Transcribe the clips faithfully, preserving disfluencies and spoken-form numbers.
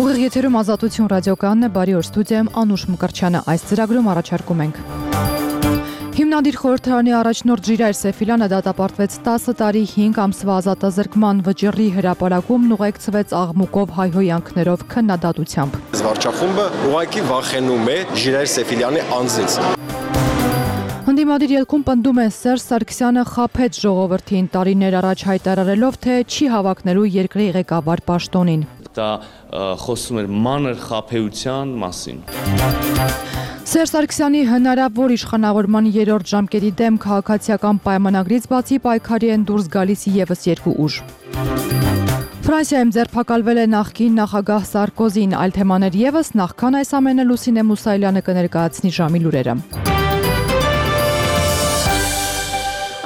Ուղիղ եթերում Ազատություն ռադիոկայանն է, բարի օր, ստուդիայում Անուշ Մկրտչյանը, այս ծրագրում առաջարկում ենք։ Հիմնադիր խորհրդարանի առաջնորդ Ժիրայր Սեֆիլյանը դատապարտվեց տասը տարի հինգ ամսվա ազատազրկման վճռի հրապարակումն ուղեկցվեց աղմուկով հայհոյանքներով քննադատությամբ։ Վարչախումբը ուղղակի վախենում է Ժիրայր Սեֆիլյանի անձից։ Ընդդիմադիր ելքում պնդում է Սերժ Սարգսյանը խաբեց ժողովրդին տարիներ առաջ հայտարարելով, թե չի հավակնելու երկրի ղեկավար պաշտոնին։ Դա խոսում էր մանր խաբեության մասին։ Սերժ Սարգսյանի հնարավոր իշխանավորման երրորդ ժամկետի դեմ քաղաքացիական պայմանագրից բացի պայքարի են դուրս գալիս ևս երկու ուժ։ Ֆրանսիայում ձերբակալվել է նախկին նախագահ Սարկոզին, այլ թեմաներ ևս, նախքան այս ամենը Լուսինե Մուսայելյանը կներկայացնի ժամի լուրերը։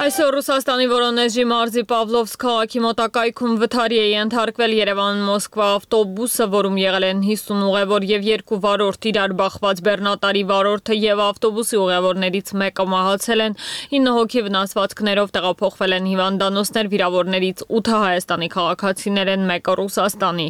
Այսօր Ռուսաստանի Վորոնեժի մարզի Պավլովսկ քաղաքի մոտակայքում վթարի է ենթարկվել Երևան-Մոսկվա ավտոբուսը, որում եղել են հիսուն ուղևոր եւ երկու վարորդ, իրար բախված բեռնատարի վարորդը եւ ավտոբուսի ուղևորներից մեկը մահացել են, ինը հոգի վնասվածքներով տեղափոխվել են հիվանդանոցներ, վիրավորներից ութը Հայաստանի քաղաքացիներ են, մեկը Ռուսաստանի։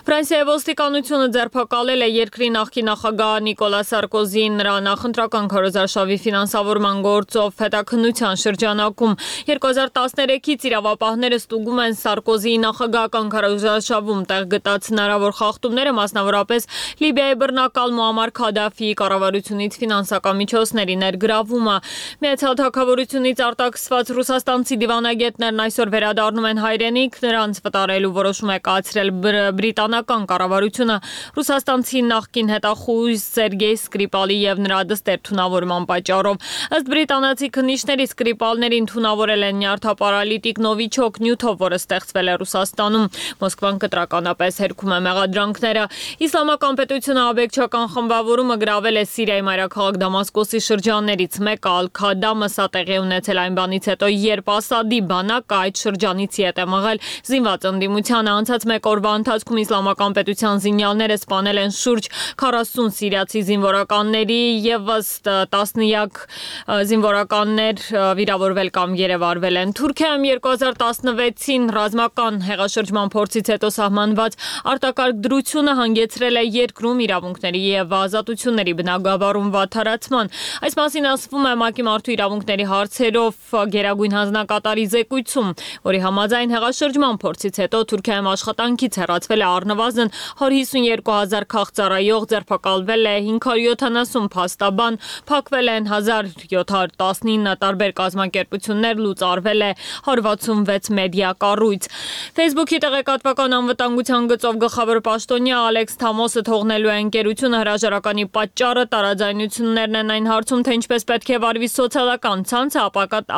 Ֆրանսիայի ոստիկանությունը ձերբակալել է երկրի նախկին նախագահ Նիկոլա Սարկոզին, նրա նախընտրական քարոզարշավի ֆինանսավորման գործով հետաքննության շրջանակում երկու հազար տասներեքից իրավապահները ստուգում են Սարկոզիի նախագահական քարոզարշավում տեղ գտած հնարավոր խախտումները, մասնավորապես Լիբիայի բռնակալ Մուամմար Քադաֆիի կառավարությունից ֆինանսական միջոցների ներգրավումը։ Միացյալ Թագավորությունից արտաքսված ռուսաստանցի դիվանագետներն այսօր վերադառնում են հայրենիք, նրանց վտարելու որոշում է կայացրել բրիտանական կառավարությունը ռուսաստանցի նախկին հետախույզ Սերգեյ Սկրիպալի եւ նրա դստեր թունավորման պատճառով։ Ըստ բրիտանացի քննիչների Սկրիպալներին թունավորել են նյարդապարալիտիկ նովիչոկ նյութով, որը ստեղծվել է Ռուսաստանում։ Մոսկվան կտրականապես հերքում է մեղադրանքները։ Իսլամական պետությունը աբեկչական խմբավորումը գրավել է Սիրիայի մայրաքաղաք Դամասկոսի շրջաններից մեկը, Ալ-Քադամը, սա տեղի ունեցել այն բանից հետո, երբ Ասադի բանակը այդ շրջանից ետ է մղել զինված ընդդիմությանը։ Անցած մեկ օրվա ընթացքում Իսլամական պետության զինյալները սպանել են շուրջ քառասուն սիրիացի զինվորականների եւ ըստ տասնյակ զինվորականներ վիրավորվել կամ երևարվել են։ Թուրքիայում երկու հազար տասնվեցին ռազմական հեղաշրջման փորձից հետո սահմանված արտակարգ դրությունը հանգեցրել է երկրում իրավունքների եւ ազատությունների բնագավառում վատթարացման։ Այս մասին ասվում է ՄԱԿ-ի մարդու իրավունքների հարցերով գերագույն հանձնակատարի զեկույցում, որի համաձայն հեղաշրջման փորձից հետո Թուրքիայում աշխատանքից հեռացվել է առնվազն հարյուր հիսունյոթ հազար քաղցրայող, ձերբակալվել է հինգ հարյուր յոթանասուն փաստաբան, փակվել են հազար յոթ հարյուր տասնինը տարբեր կազմակերպություններ, լուծարվել է հարյուր վաթսունվեց մեդիա կառույց։ Facebook-ի տեղեկատվական անվտանգության գծով գլխավոր պաշտոնյա Ալեքս Թամոսը թողնելու է ընկերությունը, հրաժարականի պատճառը տարաձայնություններն են այն հարցում, թե ինչպես պետք է վարվի սոցիալական ցանցը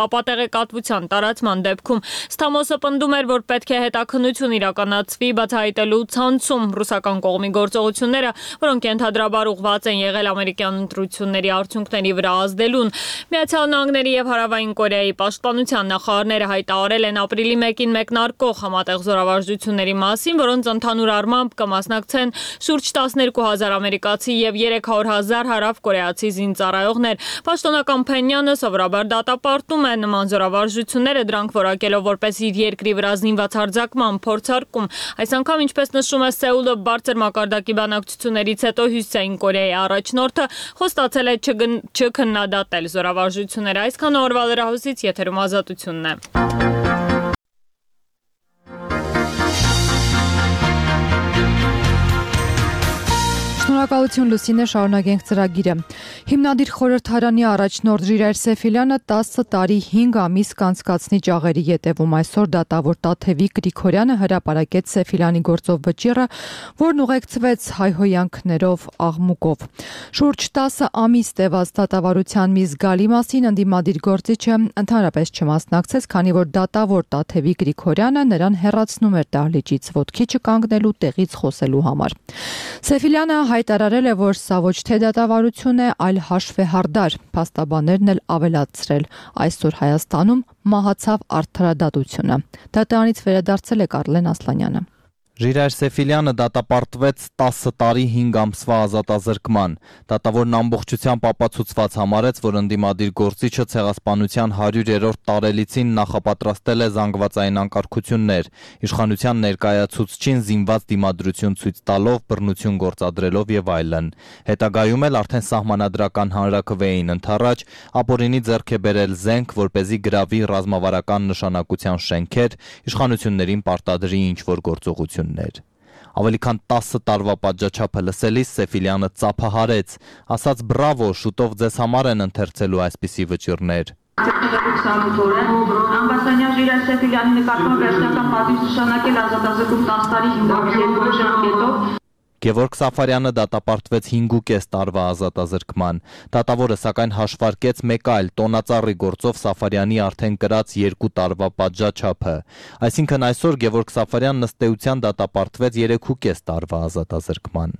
ապատեղեկատվության տարածման դեպքում։ Թամոսը պնդում էր, որ պետք է հետաքննություն իրականացվի բացահայտելու ցանցում ռուսական կողմի գործողությունները, որոնք ենթադրաբար ուղղված են եղել ամերիկյան ընտրությունների արդյունքների վրա ազդելուն։ Միացյալ Նահանգների եւ Հարավային Կորեայի պաշտպանության նախարարները հայտարարել են ապրիլի մեկին մեկնարկող համատեղ զորավարժությունների մասին, որոնց ընդհանուր առմամբ կմասնակցեն շուրջ տասներկու հազար ամերիկացի եւ երեք հարյուր հազար հարավկորեացի զինծառայողներ։ Պաշտոնական Փենյանը սովորաբար դատապարտում է նման զորավարժությունները, դրանք որակելով որպես իր երկրի վրա զինված հարձակման փորձարկում։ Այս անգամ, ինչպես նշում է Սեուլը, բարձր մակարդակի բանակցություններից հետո Հյուսիսային Կորեայի առաջնորդը խոստացել է չքննադատել զորավարժությունները։ Այսքան օրվա լրահոսից եթերում Ազատությունն է։ Շնորհակալություն Լուսինե, շարունակենք ծրագիրը։ Հիմնադիր խորհրդարանի առաջնորդ Ժիրայր Սեֆիլյանը տասը տարի հինգ ամիս կանցկացնի ճաղերի ետևում։ Այսօր դատավոր Տաթևիկ Գրիգորյանը հրապարակեց Սեֆիլյանի գործով վճիռը, որն ուղեկցվեց հայհոյանքներով, աղմուկով։ Շուրջ տասը ամիս տևած դատավարության մի զգալի մասին ընդդիմադիր գործիչը ընդհանրապես չմասնակցեց, քանի որ դատավոր Տաթևիկ Գրիգորյանը նրան հեռացնում էր դահլիճից ոտքի չկանգնելու, տեղից խոսելու համար։ Սեֆիլյանը հայտարարել է, որ սա ոչ թե դատավարություն է, այլ հաշվեհարդար։ Փաստաբաններն էլ ավելացրել. այսօր Հայաստանում մահացավ արդարադատությունը։ Դատարանից վերադարձել է Կարլեն Ասլանյանը։ Ժիրայր Սեֆիլյանը դատապարտվեց տասը տարի հինգ ամսվա ազատազրկման։ Դատավորն ամբողջությամբ ապացուցված համարեց, որ ընդդիմադիր գործիչը ցեղասպանության հարյուրերորդ տարելիցին նախապատրաստել է զանգվածային անկարգություններ, իշխանության ներկայացուցչին զինված դիմադրություն ցույց տալով, բռնություն գործադրելով եւ այլն։ Հետագայում էլ արդեն սահմանադրական հանրաքվեին ընդառաջ ապօրինի ձեռք է բերել զենք, որպեսզի գրավի ռազմավարական նշանակության շենքեր, իշխանություններին պարտադրի ինչ-որ գործողություն։ Ավելի քան տասը տարվա պատժաչափը լսելիս Սեֆիլյանը ծափահարեց, ասաց բրավո, շուտով ձեզ համար են ընթերցելու այսպիսի վճիռներ։ Ամբաստանյան Ժիրայր Սեֆիլյանի նկատմամբ վերջնական պատիժ նշանակել ազատազրկում տասը տարի հինգ ամս երկու ժամկետով։ Գևորգ Սաֆարյանը դատապարտվեց հինգուկես տարվա ազատազրկման։ Դատավորը սակայն հաշվարկեց մեկ այլ տոնածառի գործով Սաֆարյանի արդեն կրած երկու տարվա պատժաչափը։ Այսինքն այսօր Գևորգ Սաֆարյանն ըստ էության դատապարտվեց երեքուկես տարվա ազատազրկման։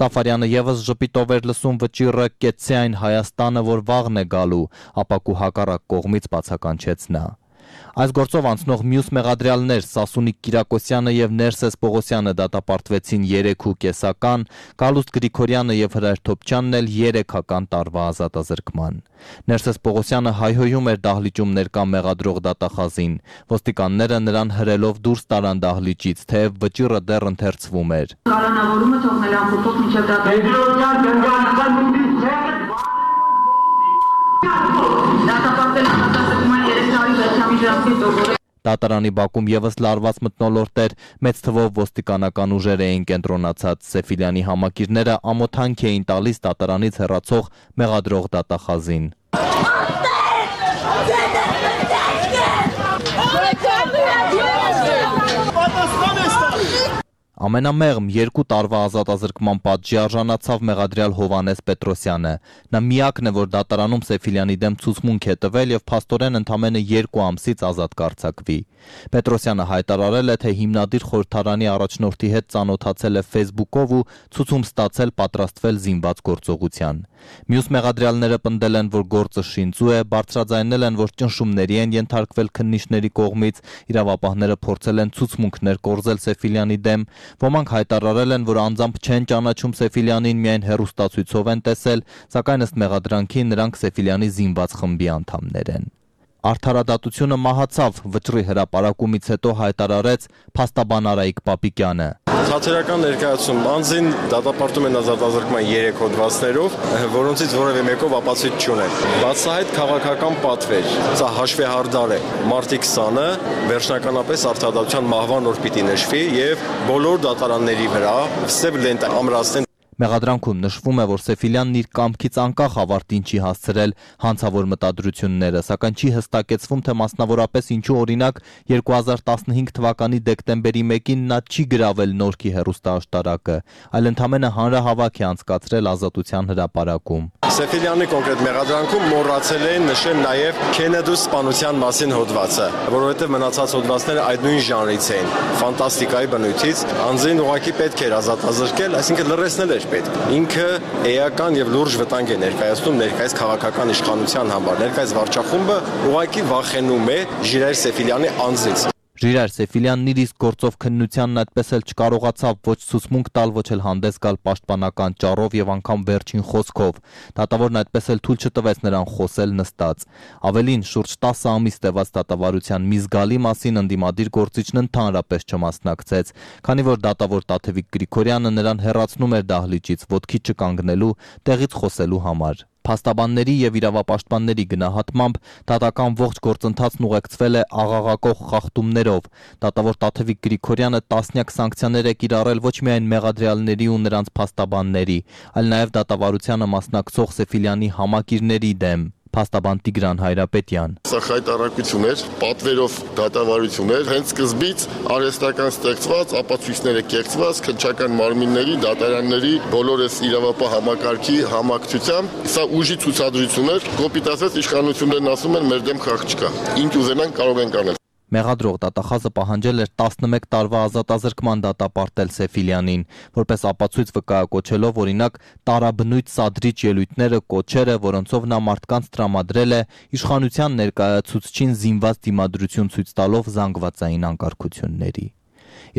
Սաֆարյանը եւս ժպիտով էր լսում վճիռը «Կեցցե այն Հայաստանը, որ վաղն է գալու», ապակու հակառակ կողմից բացականչեց նա։ Այս գործով անցնող մյուս մեղադրյալներ Սասունիկ Կիրակոսյանը եւ Ներսես Պողոսյանը դատապարտվեցին երեքուկեսական, Գալուստ Գրիգորյանը եւ Հրայր Թոփչյանն էլ երեքական տարվա ազատազրկման։ Ներսես Պողոսյանը հայհոյում էր դահլիճում ներկա մեղադրող դատախազին։ Ոստիկանները նրան հրելով դուրս տարան դահլիճից, թեև վճիռը դեռ ընթերցվում էր։ Կալանավորումը թողնել ամփոփող մինչև դատապարտել։ Դատարանի բակում եւս լարված մթնոլորտ էր, մեծ թվով ոստիկանական ուժեր էին կենտրոնացած։ Սեֆիլյանի համակիրները ամոթանք էին տալիս դատարանից հեռացող մեղադրող դատախազին։ Ամենամեղմ երկու տարվա ազատազրկման պատժի արժանացավ մեղադրյալ Հովհաննես Պետրոսյանը։ Նա միակն է, որ դատարանում Սեֆիլյանի դեմ ցուցմունք է տվել եւ փաստորեն ընդամենը երկու ամսից ազատ կարձակվի։ Պետրոսյանը հայտարարել է, թե հիմնադիր խորհրդարանի առաջնորդի հետ ծանոթացել է Facebook-ով ու ցուցում ստացել պատրաստվել զինված գործողության։ Մյուս մեղադրյալները պնդել են, որ գործը շինծու է, բարձրաձայնել են, որ ճնշումների են ենթարկվել քննիչների կողմից, իրավապահները փորձել են ցուցմունքներ կորզել Սեֆիլյանի դեմ։ Ոմանք հայտարարել են, որ անձամբ չեն ճանաչում Սեֆիլյանին, միայն հեռուստացույցով են տեսել, սակայն ըստ մեղադրանքի նրանք Սեֆիլյանի զինված խմբի անդամներ են։ Արդարադատությունը մահացավ, վճռի հրապարակումից հետո հայտարարեց փաստաբան Արայիկ Պապիկյանը։ Թատերական ներկայացում անձին դատապարտում են ազատազրկման երեք հոդվածներով, որոնցից որևէ մեկով ապացույց չունեն։ Բացահայտ քաղաքական պատվեր, սա հաշվեհարդար է։ Մարտի քսանը վերջնականապես արդարադատության մահվան օր պիտի նշվի եւ բոլոր դատարանների վրա սև լենտ ամրացնեն։ Մեղադրանքում նշվում է, որ Սեֆիլյանն իր կամքից անկախ ավարտին չի հասցրել հանցավոր մտադրությունները, սակայն չի հստակեցվում, թե մասնավորապես ինչու օրինակ երկու հազար տասնհինգ թվականի դեկտեմբերի մեկին նա չի գրավել Նորքի հեռուստաաշտարակը, այլ ընդամենը հանրահավաք է անցկացրել Ազատության հրապարակում։ Սեֆիլյանի կոնկրետ մեղադրանքում մոռացել են նշել նաև Քենեդու սպանության մասին հոդվածը, որովհետև մնացած հոդվածները այդ նույն ժանրից էին, ֆանտաստիկայի բնույթից, անձին ուղղակի պետք էր ազատազրկել, այսինքն լրացնել էր պետք։ Ինքը էական եւ լուրջ վտանգ է ներկայացնում ներկայիս քաղաքական իշխանության համար, ներկայիս վարչախումբը ուղղակի վախենում է Ժիրայր Սեֆիլյանի անձից։ Ժիրայր Սեֆիլյանն իր իսկ գործով քննությանն այդպես էլ չկարողացավ ոչ ցուցմունք տալ, ոչ էլ հանդես գալ պաշտպանական ճառով եւ անգամ վերջին խոսքով։ Դատավորն այդպես էլ թույլ չտվեց նրան խոսել նստած։ Ավելին, շուրջ տասը ամիս տևած դատավարության մի զգալի մասին ընդդիմադիր գործիչն ընդհանրապես չմասնակցեց, քանի որ դատավոր Տաթևիկ Գրիգորյանը նրան հեռացնում էր դահլիճից ոտքի չկանգնելու, տեղից խոսելու համար։ Փաստաբանների եւ իրավապաշտպանների գնահատմամբ դատական ողջ գործընթացն ուղեկցվել է աղաղակող խախտումներով։ Դատավոր Տաթևիկ Գրիգորյանը տասնյակ սանկցիաներ է կիրառել ոչ միայն մեղադրյալների ու նրանց փաստաբանների, այլ նաեւ դատավարությանը մասնակցող Սեֆիլյանի համակիրների դեմ։ Փաստաբան Տիգրան Հայրապետյան։ Սա խայտարակություն էր, պատվերով դատավարություն էր, հենց սկզբից արհեստական ստեղծված, ապացույցները կեղծված, քննչական մարմինների, դատարանների, բոլորս իրավապահ համակարգի համակցությամբ, սա ուժի ցուցադրություն էր, կոպիտ ասած իշխանություններն ասում են մեր դեմ խաղ չկա։ Ինչ ուզենան կարող են կանել։ Մեղադրող դատախազը պահանջել էր տասնմեկ տարվա ազատազրկման դատապարտել Սեֆիլյանին, որպես ապացույց վկայակոչելով օրինակ տարաբնույթ սադրիչ ելույթները, կոչերը, որոնցով նա մարդկանց տրամադրել է իշխանության ներկայացուցչին զինված դիմադրություն ցույց տալով զանգվածային անկարգությունների։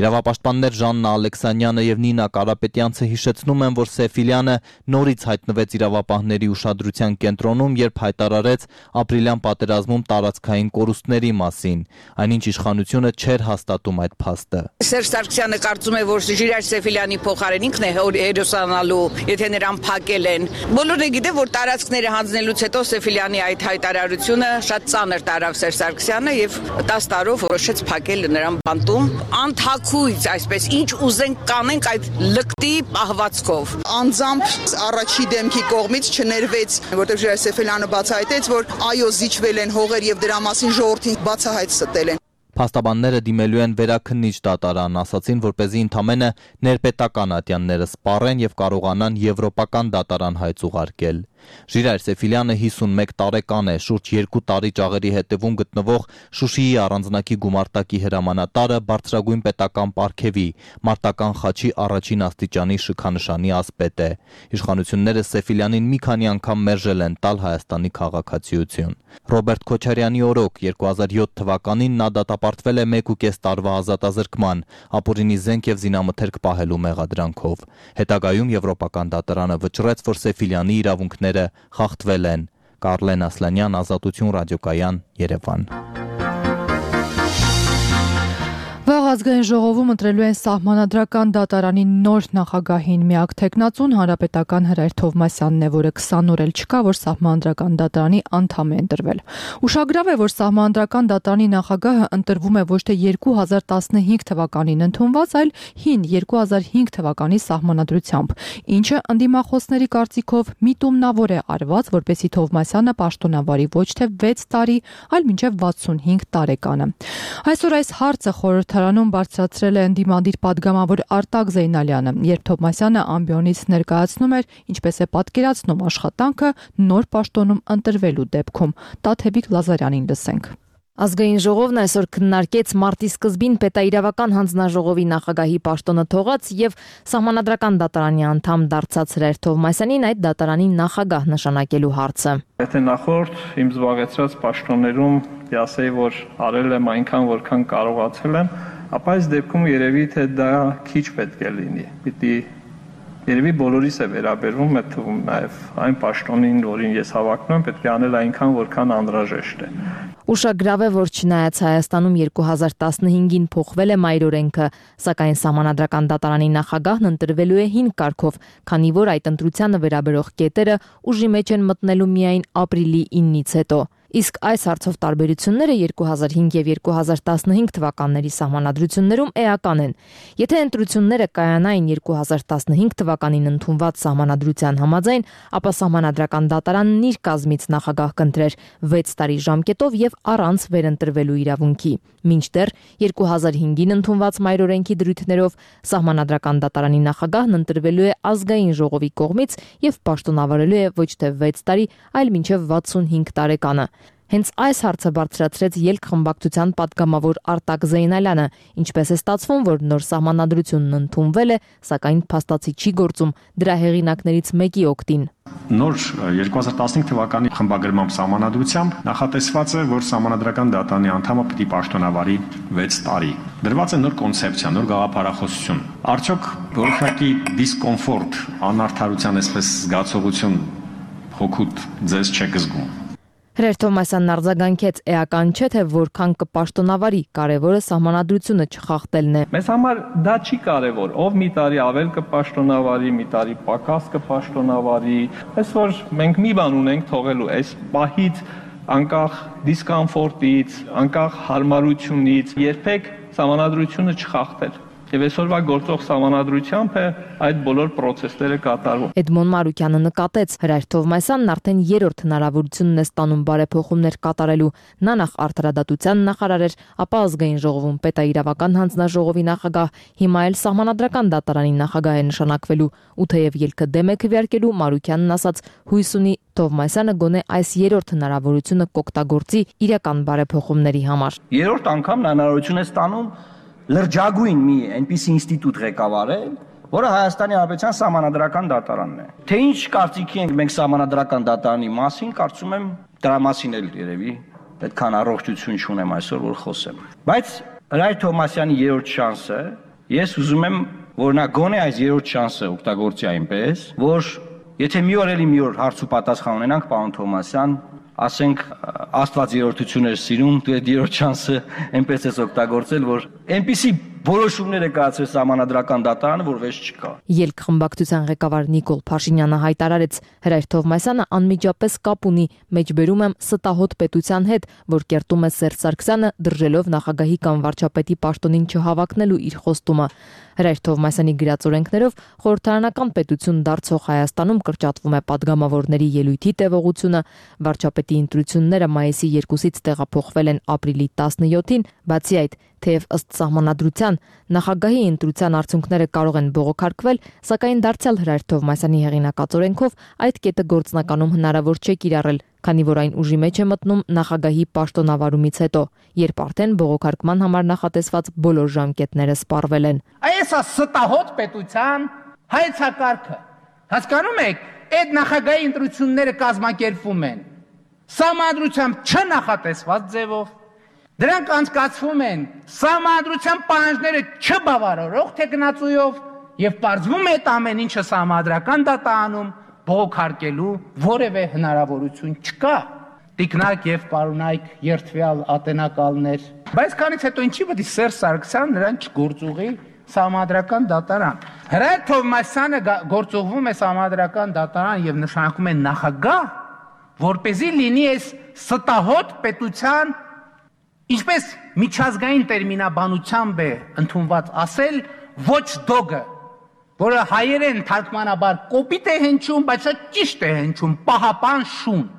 Իրավապաշտպաններ Ժաննա Ալեքսանյանը եւ Նինա Կարապետյանցը հիշեցնում են, որ Սեֆիլյանը նորից հայտնվեց իրավապահների ուշադրության կենտրոնում, երբ հայտարարեց ապրիլյան պատերազմում տարածքային կորուստների մասին, այնինչ իշխանությունը չէր հաստատում այդ փաստը։ Սերժ Սարգսյանը կարծում է, որ Ժիրայր Սեֆիլյանի փոխարեն ինքն է հերոսանալու, եթե նրան փակել են։ Բոլորը գիտեն, որ տարածքները հանձնելուց հետո Սեֆիլյանի այդ հայտարարությունը շատ ծանր տարավ Սերժ Սարգսյանը եւ տասը տարով որոշեց փակել նրան բանտում։ Անթաքույց, այսպես, ինչ ուզենք կանենք այդ լկտի պահվածքով։ Անձամբ առաջի դեմքի կողմից չներվեց, որտեղ Ժիրայր Սեֆիլյանը բացահայտեց, որ այո, զիջվել են հողեր եւ դրա մասին ժողովրդին բացահայտ ստել են։ Փաստաբանները դիմելու են վերաքննիչ դատարան, ասացին, որպեսզի ընդամենը ներպետական ատյանները սպառեն եւ կարողանան եվրոպական դատարան հայց ուղարկել։ Ժիրայր Սեֆիլյանը հիսունմեկ տարեկան է, շուրջ երկու տարի ճաղերի հետևում գտնվող Շուշիի առանձնակի գումարտակի հրամանատարը բարձրագույն պետական պարգևի մարտական խաչի առաջին աստիճանի շքանշանի ասպետ է։ Իշխանությունները Սեֆիլյանին մի քանի անգամ մերժել են տալ Հայաստանի քաղաքացիություն։ Ռոբերտ Քոչարյանի օրոք երկու հազար յոթ թվականին նա դատապարտվել է մեկ ու կես տարվա ազատազրկման, ապօրինի զենք եւ զինամթերք պահելու մեղադրանքով։ Հետագայում Եվրոպական դատարանը վճռեց, որ Սեֆիլյանի իրավունքները խախտվել են։ Կարլեն Ասլանյան, Ազատություն ռադիոկայան, Երևան։ Վաղ ազգային ժողովում ընտրելու են սահմանադրական դատարանի նոր նախագահին միակ թեկնածուն հանրապետական Հրայր Թովմասյանն է, որը քսան օր էլ չկա, որ սահմանադրական դատարանի անդամ է ընտրվել։ Ուշագրավ է, որ սահմանադրական դատարանի նախագահը ընտրվում է ոչ թե երկու հազար տասնհինգ թվականին ընդունված, այլ հին երկու հազար հինգ թվականի սահմանադրությամբ, ինչը ընդդիմախոսների կարծիքով միտումնավոր է արված, որպեսզի Թովմասյանը պաշտոնավարի ոչ թե վեց տարի, այլ մինչև վաթսունհինգ տարեկանը։ Այսօր այս հարցը խորհրդարանում բարձրացրել է ընդդիմադիր падգամավոր Արտակ Զեյնալյանը, երբ Թովմասյանը ամբիոնից ներկայացնում էր, ինչպես է պատկերացնում աշխատանքը նոր պաշտոնում ընտրվելու դեպքում։ Տաթևիկ Լազարյանին լսենք։ Ազգային ժողովն այսօր քննարկեց մարտի սկզբին պետաիրավական հանձնաժողովի նախագահի պաշտոնը թողած եւ սահմանադրական դատարանի անդամ դարձած Հրայր Թովմասյանին այդ դատարանի նախագահ նշանակելու հարցը։ Եթե նախորդ իմ զբաղեցրած պաշտոններում ասեի, որ արել եմ այնքան, որքան կարողացել եմ, ապա այս դեպքում երևի թե դա քիչ պետք է լինի։ Պիտի երևի բոլորիս է վերաբերվում, այդ թվում նաև այն պաշտոնին, որին ես հավակնում եմ, պետք է անել այնքան, որքան անհրաժեշտ է։ Ուշագրավ է, որ չնայած Հայաստանում երկու հազար տասնհինգին փոխվել է մայրօրենքը, սակայն սահմանադրական դատարանի նախագահն ընտրվելու է հին կարգով, քանի որ այդ ընտրությանը վերաբերող կետերը ուժի մեջ են մտնելու միայն ապրիլի իննից հետո։ Իսկ այս հարցով տարբերությունները երկու հազար հինգ եւ երկու հազար տասնհինգ թվականների սահմանադրություններում էական են։ Եթե ընտրությունները կայանային երկու հազար տասնհինգ թվականին ընդունված սահմանադրության համաձայն, ապա սահմանադրական դատարանն իր կազմից նախագահ կընտրեր վեց տարի ժամկետով եւ առանց վերընտրվելու իրավունքի։ Մինչդեռ երկու հազար հինգին ընդունված մայրօրենքի դրույթներով սահմանադրական դատարանի նախագահն ընտրվելու է ազգային ժողովի կողմից եւ պաշտոնավարելու է ոչ թե վեց տարի, այլ մինչեւ վաթսունհինգ տարեկանը։ Հենց այս հարցը բարձրացրեց ելք խմբակցության падգամավոր Արտակ Զեյնալյանը, ինչպես է ստացվում, որ նոր սահմանադրությունն ընդունվել է, սակայն փաստացի չի գործում դրա հեղինակներից մեկի օգտին։ Նոր երկու հազար տասնհինգ թվականի խմբագրման սահմանադրությամբ նախատեսված է, որ սահմանադրական դատարանի անդամը պիտի պաշտոնավարի վեց տարի։ Դրված է նոր կոնցեպցիա, նոր գաղափարախոսություն։ Արդյոք որոշակի դիսկոմֆորտ, անարդարության այսպես զգացողություն հոգուտ ձեզ չեք զգում։ Հրայր Թովմասյանն արձագանքեց, էական չէ, թե որքան կպաշտոնավարի, կարևորը սահմանադրությունը չխախտելն է։ Մեզ համար դա չի կարևոր, ով մի տարի ավել կպաշտոնավարի, մի տարի պակաս կպաշտոնավարի, այսօր մենք մի բան ունենք թողելու, այս պահից անկախ դիսկոմֆորտից, անկախ հարմարությունից, երբեք սահմանադրությունը չխախտել։ Եվ այսօրվա գործող սահմանադրությամբ է այդ բոլոր պրոցեսները կատարվում։ Էդմոն Մարուկյանը նկատեց, Հրայր Թովմասյանն արդեն երրորդ հնարավորությունն է ստանում բարեփոխումներ կատարելու։ Նա նախ արդարադատության նախարար էր, ապա ազգային ժողովում պետաիրավական հանձնաժողովի նախագահ, հիմա էլ սահմանադրական դատարանի նախագահ է նշանակվելու։ Ու թեև ելքը դեմ է քվեարկելու, Մարուկյանն ասաց, հույս ունի Թովմասյանը գոնե այս երրորդ հնարավորությունը կօգտագործի իրական բարեփոխումների համար։ Երրորդ անգամ հնարավորություն է ստանում լրջագույն մի այնպիսի ինստիտուտ ղեկավարել, որը Հայաստանի Հանրապետության սահմանադրական դատարանն է։ Թե ինչ կարծիքի ենք մենք սահմանադրական դատարանի մասին, կարծում եմ դրա մասին էլ երևի այդքան առողջություն չունեմ այսօր, որ խոսեմ։ Բայց Հրայր Թովմասյանի երրորդ շանսը, ես ուզում եմ, որ նա գոնե այս երրորդ շանսը օգտագործի այնպես, որ եթե մի օր էլի մի օր հարց ու պատասխան ունենանք, պարոն Թովմասյան, ասենք Աստված երրորդություն էր սիրում, դու այդ երրորդ շանսը այնպես ես օգտագործել, որ այնպիսի որոշումներ է կայացրել Սահմանադրական դատարանը, որ վեճ չկա։ Ելք խմբակցության ղեկավար Նիկոլ Փաշինյանը հայտարարեց, Հրայր Թովմասյանը անմիջապես կապ ունի, մեջբերում եմ ստահոդ պետության հետ, որ կերտում է Սերժ Սարգսյանը, դրժելով նախագահի կամ վարչապետի պաշտոնին չհավակնելու իր խոստումը։ Հրայր Թովմասյանի գրած օրենքներով խորհրդարանական պետություն դարձող Հայաստանում կրճատվում է падգամավորների ելույթի տևողությունը, վարչապետի ընտրությունները մայիսի երկուսից տեղափոխվել են ապրիլի տասնյոթին, բացի այդ, թեև ըստ սահմանադրության նախագահի ընտրության արդյունքները կարող են բողոքարկվել, սակայն դարձյալ Հրայր Թովմասյանի հեղինակած օրենքով այդ կետը գործնականում հնարավոր չէ կիրառել, քանի որ այն ուժի մեջ է մտնում նախագահի պաշտոնավարումից հետո, երբ արդեն բողոքարկման համար նախատեսված բոլոր ժամկետները սպառվել են։ Այս է ստահոդ պետության հայեցակարգը։ Հասկանում եք, այդ նախագահի ընտրությունները կազմակերպվում են սահմանադրությամբ չնախատեսված ձևով, դրանք անցկացվում են սահմանադրության պահանջները չբավարարող թեկնածուով եւ պարզվում է այդ ամեն ինչը սահմանադրական դատարանում բողոքարկելու որևէ հնարավորություն չկա։ Տիկնակ եւ պարոնայք երթվյալ ատենակալներ։ Բայց քանից հետո ինչի պետք է Սերժ Սարգսյան նրան չգործուղի Սահմանադրական դատարան։ Հրայր Թովմասյանը գործուղվում է Սահմանադրական դատարան եւ նշանակում է նախագահ, որպեսզի լինի այս ստահոդ պետության, ինչպես միջազգային տերմինաբանությամբ է ընդունված ասել, ոչ դոգը, որը հայերեն թարգմանաբար կոպիտ է հնչում, բայց շատ ճիշտ է հնչում, պահապան շուն։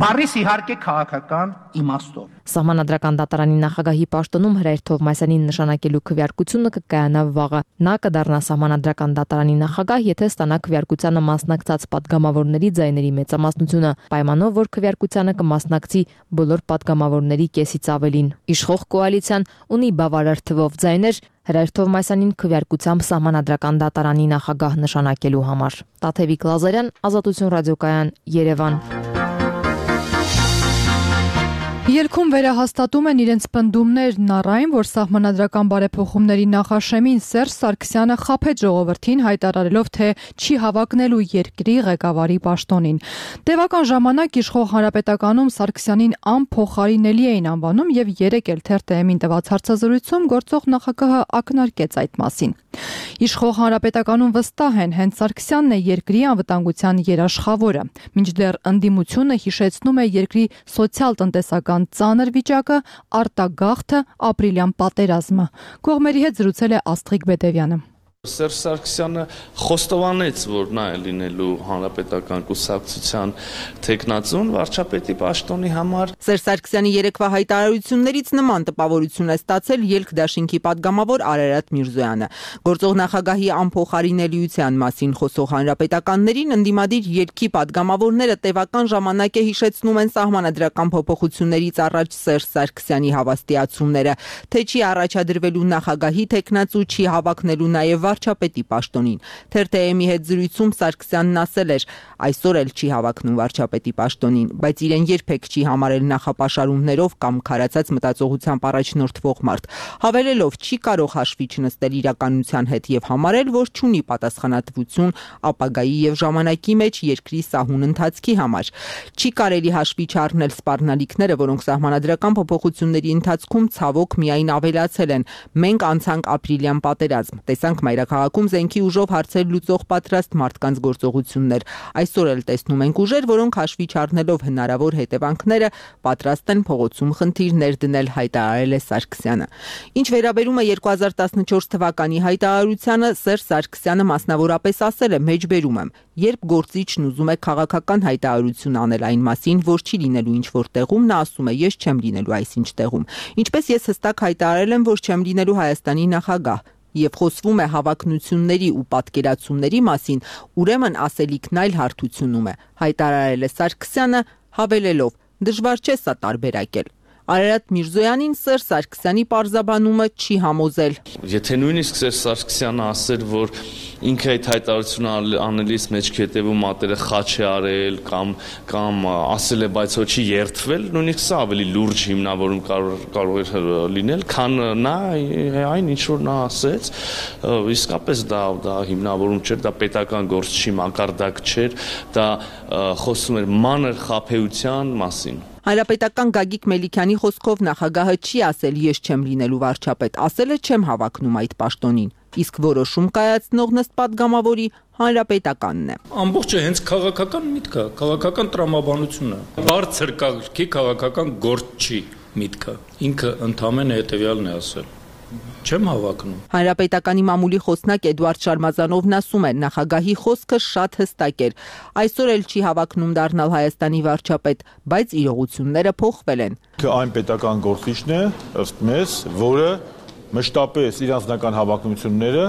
Բարիս իհարկե քաղաքական իմաստով։ Սահմանադրական դատարանի նախագահի պաշտոնում Հրայր Թովմասյանին նշանակելու քվեարկությունը կկայանա վաղը։ Նա կդառնա Սահմանադրական դատարանի նախագահ, եթե ստանա քվեարկությանը մասնակցած падգամավորների ձայների մեծամասնությունը, պայմանով որ քվեարկությանը կմասնակցի բոլոր падգամավորների կեսից ավելին։ Իշխող կոալիցիան ունի բավարար թվով ձայներ Հրայր Թովմասյանին քվեարկությամբ Սահմանադրական դատարանի նախագահ նշանակելու համար։ Տաթևիկ Լազարյան, Ազատություն ռադիոկայան, Երևան։ Ելքում վերահաստատում են իրենց պնդումներն առ այն, որ սահմանադրական բարեփոխումների նախաշեմին Սերժ Սարգսյանը խաբեց ժողովրդին, հայտարարելով, թե չի հավակնելու երկրի ղեկավարի պաշտոնին։ Տևական ժամանակ իշխող Հանրապետականում Սարգսյանին անփոխարինելի էին անվանում եւ երեկ էլ Թերթ Էմին տված հարցազրույցում գործող նախագահը ակնարկեց այդ մասին։ Իշխող Հանրապետականում վստահ են, հենց Սարգսյանն է երկրի անվտանգության երաշխավորը, մինչդեռ ընդդիմությունը հիշեցնում է երկրի սոցիալ-տնտեսական ծանր վիճակը, արտագաղթը, ապրիլյան պատերազմը։ Կողմերի հետ զրուցել է Աստղիկ Բեդևյանը։ Սերժ Սարգսյանը խոստովանեց, որ նա է լինելու հանրապետական կուսակցության թեկնածուն վարչապետի պաշտոնի համար։ Սերժ Սարգսյանի երեկվա հայտարարություններից նման տպավորություն է ստացել ելք դաշինքի падգամավոր Արարատ Միրզոյանը։ Գործող նախագահի անփոխարինելիության մասին խոսող հանրապետականներին ընդդիմադիր ելքի падգամավորները տևական ժամանակ է հիշեցնում են սահմանադրական փոփոխություններից առաջ Սերժ Սարգսյանի հավաստիացումները, թե չի առաջադրվելու նախագահի թեկնածու, չի հավակնելու նաև վարչապետի պաշտոնին։ Թերթ Էմի հետ զրույցում Սարգսյանն ասել էր, այսօր էլ չի հավակնում վարչապետի պաշտոնին, բայց իրեն երբեք չի համարել նախապաշարումներով կամ քարացած մտածողությամբ առաջնորդվող մարդ, հավելելով չի կարող հաշվի չնստել իրականության հետ եւ համարել, որ չունի պատասխանատվություն ապագայի եւ ժամանակի մեջ երկրի սահուն ընթացքի համար։ Չի կարելի հաշվի չառնել սպառնալիքները, որոնք սահմանադրական փոփոխությունների ընթացքում ցավոք միայն ավելացել են։ Մենք անցանք ապրիլյան պատերազմ, տեսանք մայրաքաղաքում զենքի ուժով հարցեր լուծող պատրաստ մարդկանց գործողություններ։ Այսօր էլ տեսնում ենք ուժեր, որոնք հաշվի չառնելով հնարավոր հետևանքները պատրաստ են փողոցում խնդիրներ դնել, հայտարարել է Սարգսյանը։ Ինչ վերաբերում է երկու հազար տասնչորս թվականի հայտարարությանը, Սերժ Սարգսյանը մասնավորապես ասել է, մեջբերում եմ, երբ գործիչն ուզում է քաղաքական հայտարարություն անել այն մասին, որ չի լինելու ինչ-որ տեղում, նա ասում է, ես չեմ լինելու այսինչ տեղում։ Ինչպես ես հստակ հայտարարել եմ, որ չեմ լինելու Հայաստանի նախագահ, եւ խոսվում է հավակնությունների ու պատկերացումների մասին, ուրեմն ասելիքն այլ հարթությունում է, հայտարարել է Սարգսյանը, հավելելով. դժվար չէ սա տարբերակել։ Արարատ Միրզոյանին Սերժ Սարգսյանի պարզաբանումը չի համոզել։ Եթե նույնիսկ Սերժ Սարգսյանը ասեր, որ ինքը այդ հայտարարությունը անելիս մեջքի հետևում մատերը խաչ է արել կամ կամ ասել է, բայց ոչ չի երթվել, նույնիսկ սա ավելի լուրջ հիմնավորում կարող կարող էր լինել, քան նա այն ինչ որ նա ասեց, իսկապես դա դա հիմնավորում չէր, դա պետական գործ չի, մակարդակ չէր, դա խոսում էր մանր խաբեության մասին։ Հանրապետական Գագիկ Մելիքյանի խոսքով նախագահը չի ասել ես չեմ լինելու վարչապետ, ասել է չեմ հավակնում այդ պաշտոնին, իսկ որոշում կայացնող նստ պատգամավորի հանրապետականն է։ Ամբողջը հենց քաղաքական միտք է, քաղաքական տրամաբանություն է։ Բարձր կարգի քաղաքական գործ չի միտքը։ Ինքը ընդամենը հետևյալն է ասել։ Չեմ հավակնում։ Հանրապետականի մամուլի խոսնակ Էդուարդ Շարմազանովն ասում է, նախագահի խոսքը շատ հստակ էր։ Այսօր էլ չի հավակնում դառնալ Հայաստանի վարչապետ, բայց իրողությունները փոխվել են։ Այն պետական գործիչն է, ըստ մեզ, որը մշտապես իր անձնական հավակնությունները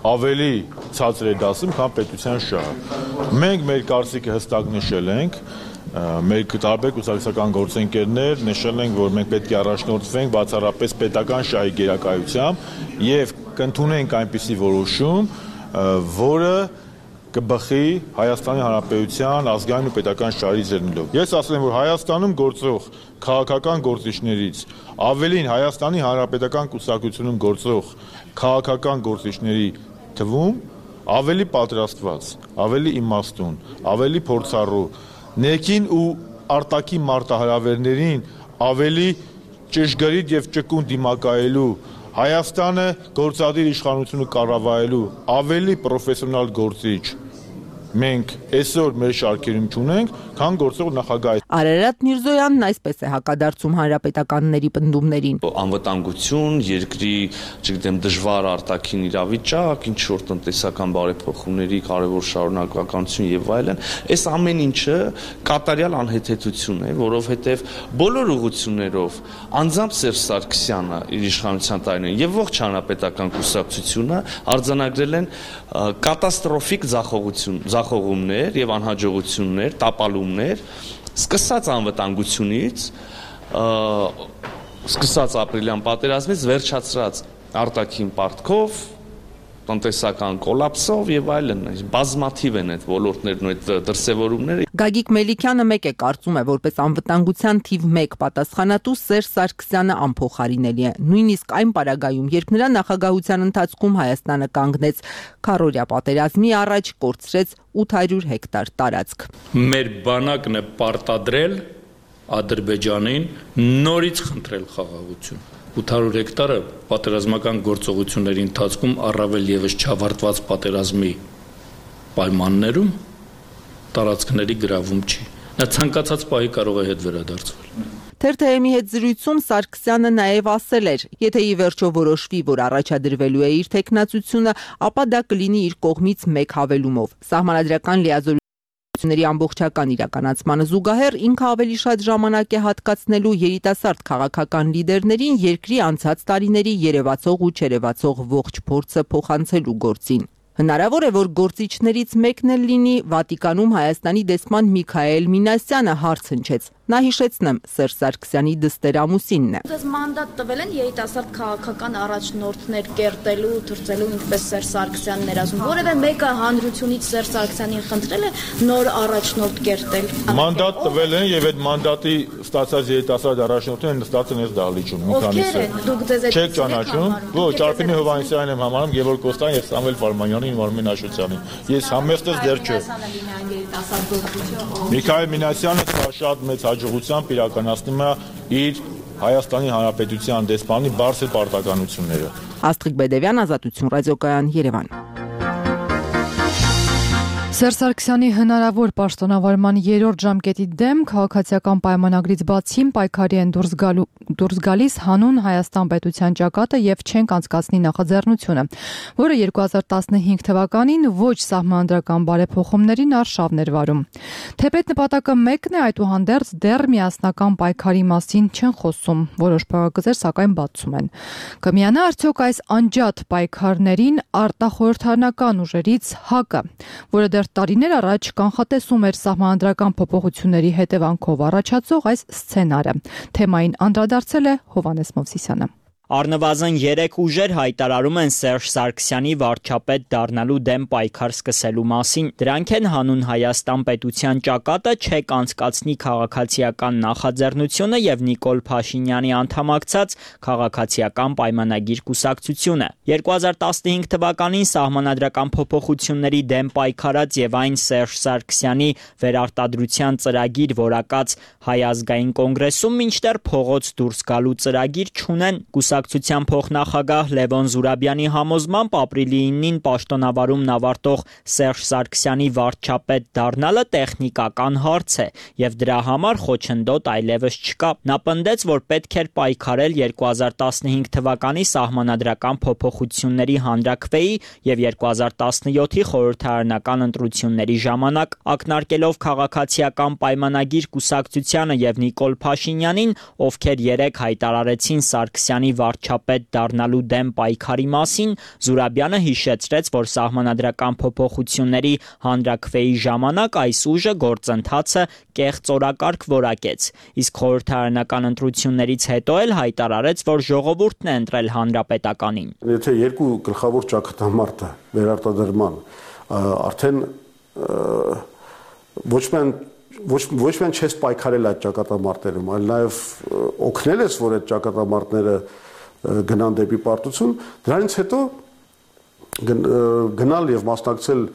ավելի ցածր է դասում, քան պետության շահը։ Մենք մեր կարծիքը հստակ նշել ենք, մեր տարբեր կուսակցական գործընկերներ նշել ենք, որ մենք պետք է առաջնորդվենք բացառապես պետական շահի գերակայությամբ եւ կընդունենք այնպիսի որոշում, որը կբխի Հայաստանի Հանրապետության ազգային ու պետական շահերից ելնելով։ Ես ասել եմ, որ Հայաստանում գործող քաղաքական գործիչներից ավելին Հայաստանի Հանրապետական կուսակցությունում գործող քաղաքական գործիչների թվում ավելի պատրաստված, ավելի իմաստուն, ավելի փորձառու, ներքին ու արտաքին մարտահրավերներին ավելի ճշգրիտ եւ ճկուն դիմակայելու, Հայաստանը գործադիր իշխանությունը կառավարելու ավելի պրոֆեսիոնալ գործիչ մենք այսօր մեր շարքերում չունենք, քան գործող նախագահ։ Արարատ Միրզոյանն այսպես է հակադարձում հանրապետականների պնդումներին։ Անվտանգություն, երկրի, չգիտեմ, դժվար արտաքին իրավիճակ, ինչ որ տնտեսական բարեփոխումների կարևոր շարունակականություն եւ այլն, այս ամեն ինչը կատարյալ անհեթեթություն է, որովհետեւ բոլոր ուղղություններով անձամբ Սերժ Սարգսյանը իր իշխանության տարիներին եւ ողջ հանրապետական կուսակցությունը արձանագրել են կատաստրոֆիկ ձախողություն ձախողումներ եւ անհաջողություններ, տապալումներ, սկսած անվտանգությունից, սկսած ապրիլյան պատերազմից, վերջացրած արտաքին պարտքով, տնտեսական կոլապսով եւ այլն, բազմաթիվ են այդ ոլորտներն ու այդ դրսևորումները։ Գագիկ Մելիքյանը մեկ է կարծում է, որպես անվտանգության թիվ մեկ պատասխանատու Սերժ Սարգսյանը անփոխարինելի է, նույնիսկ այն պարագայում, երբ նրա նախագահության ընթացքում Հայաստանը կանգնեց քառօրյա պատերազմի առաջ, կորցրեց ութ հարյուր հեկտար տարածք։ Մեր բանակն է պարտադրել Ադրբեջանին նորից խնդրել խաղաղություն։ ութ հարյուր հեկտարը պատերազմական գործողությունների ընթացքում առավել եւս չավարտված պատերազմի պայմաններում տարածքների գրավում չի։ Նա ցանկացած պահի կարող է հետ վերադարձվել։ Թ Թ Մ-ի հետ զրույցում Սարգսյանը նաև ասել էր, եթե ի վերջո որոշվի, որ առաջադրվելու է իր թեկնածությունը, ապա դա կլինի իր կողմից մեկ հավելումով։ Սահմանադրական լիազորությունների ամբողջական իրականացմանը զուգահեռ ինքը ավելի շատ ժամանակ է հատկացնելու երիտասարդ քաղաքական լիդերներին երկրի անցած տարիների երևացող ու չերևացող ողջ փորձը փոխանցելու գործին։ Հնարավոր է, որ գործիչներից մեկն էլ լինի Վատիկանում Հայաստանի դեսպան Միքայել Մինասյանը, հարց հնչեց։ Նա հիշեցնեմ Սերժ Սարգսյանի դստեր ամուսինն է։ Դες մանդատ տվել են երիտասարդ քաղաքական առաջնորդներ կերտելու, թրծելու, ինչպես Սերժ Սարգսյանն էր ասում։ Որևէ մեկը հանրությունից Սերժ Սարգսյանին խնդրել է նոր առաջնորդ կերտել։ Մանդատ տվել են եւ այդ մանդատի ստացած երիտասարդ առաջնորդները նստած են այս դահլիճում մի քանիսը։ Դուք դες այդ չեք ճանաչում։ Ոչ, Արփինե Հովհաննիսյանն եմ համարում, Գևորգ Կոստան եւ Սամվել Ֆարմանյանին, Մարմեն Աշոտյանին։ Ես համեստս դեռ չէ։ Միքայել Մինասյանը շատ մեծ հաջողությամբ իրականացնում է իր Հայաստանի Հանրապետության դեսպանի բարձր պարտականությունները։ Աստղիկ Բեդևյան, Ազատություն ռադիոկայան, Երևան։ Սերժ Սարգսյանի հնարավոր պաշտոնավարման երրորդ ժամկետի դեմ քաղաքացիական պայմանագրից բացի պայքարի են դուրս գալու դուրս գալիս հանուն Հայաստան պետության ճակատը եւ չենք անցկացնի նախաձեռնությունը, որը երկու հազար տասնհինգ թվականին ոչ սահմանադրական բարեփոխումներին արշավներ վարում։ Թեպետ նպատակը մեկն է, այդուհանդերձ դեռ միասնական պայքարի մասին չեն խոսում, որոշ փակագծեր սակայն բացում են։ Կմիանա արդյոք այս անջատ պայքարներին արտախորհրդարանական ուժերից ՀԱԿ-ը, որը դեռ կարճ տարիներ առաջ կանխատեսում էր սահմանադրական փոփոխությունների հետևանքով առաջացող այս սցենարը։ Թեմային անդրադարձել է Հովհաննես Մովսիսյանը։ Առնվազն երեք ուժեր հայտարարում են Սերժ Սարգսյանի վարչապետ դառնալու դեմ պայքար սկսելու մասին։ Դրանք են հանուն Հայաստան պետության ճակատը չեք անցկացնի քաղաքացիական նախաձեռնությունը եւ Նիկոլ Փաշինյանի անդամակցած քաղաքացիական պայմանագիր կուսակցությունը։ երկու հազար տասնհինգ թվականին սահմանադրական փոփոխությունների դեմ պայքարած եւ այն Սերժ Սարգսյանի վերարտադրության ծրագիր որակած Հայ ազգային կոնգրեսում մինչդեռ փողոց դուրս գալու ծրագիր չունեն։ Կուսակցության փոխնախագահ Լևոն Զուրաբյանի համոզմամբ ապրիլի իննին պաշտոնավարումն ավարտող Սերժ Սարգսյանի վարչապետ դառնալը տեխնիկական հարց է եւ դրա համար խոչընդոտ այլևս չկա։ Նա պնդեց, որ պետք էր պայքարել երկու հազար տասնհինգ թվականի սահմանադրական փոփոխությունների հանրաքվեի եւ երկու հազար տասնյոթի խորհրդարանական ընտրությունների ժամանակ, ակնարկելով քաղաքացիական պայմանագիր կուսակցությանը եւ Նիկոլ Փաշինյանին, ովքեր երեք հայտարարեցին Սարգսյանի վարչապետ դառնալու դեմ պայքարի մասին, Զուրաբյանը հիշեցրեց, որ սահմանադրական փոփոխությունների հանրաքվեի ժամանակ այս ուժը գործընթացը կեղծ օրակարգ որակեց, իսկ խորհրդարանական ընտրություններից հետո էլ հայտարարեց, որ ժողովուրդն է ընտրել հանրապետականին։ Եթե երկու գլխավոր ճակատամարտը վերարտադրման արդեն ոչ միայն ոչ ոչ միայն չես պայքարել այդ ճակատամարտերում, այլ նաև օգնել ես, որ այդ ճակատամարտները գնան դեպի պարտություն, դրանից հետո գնալ եւ մասնակցել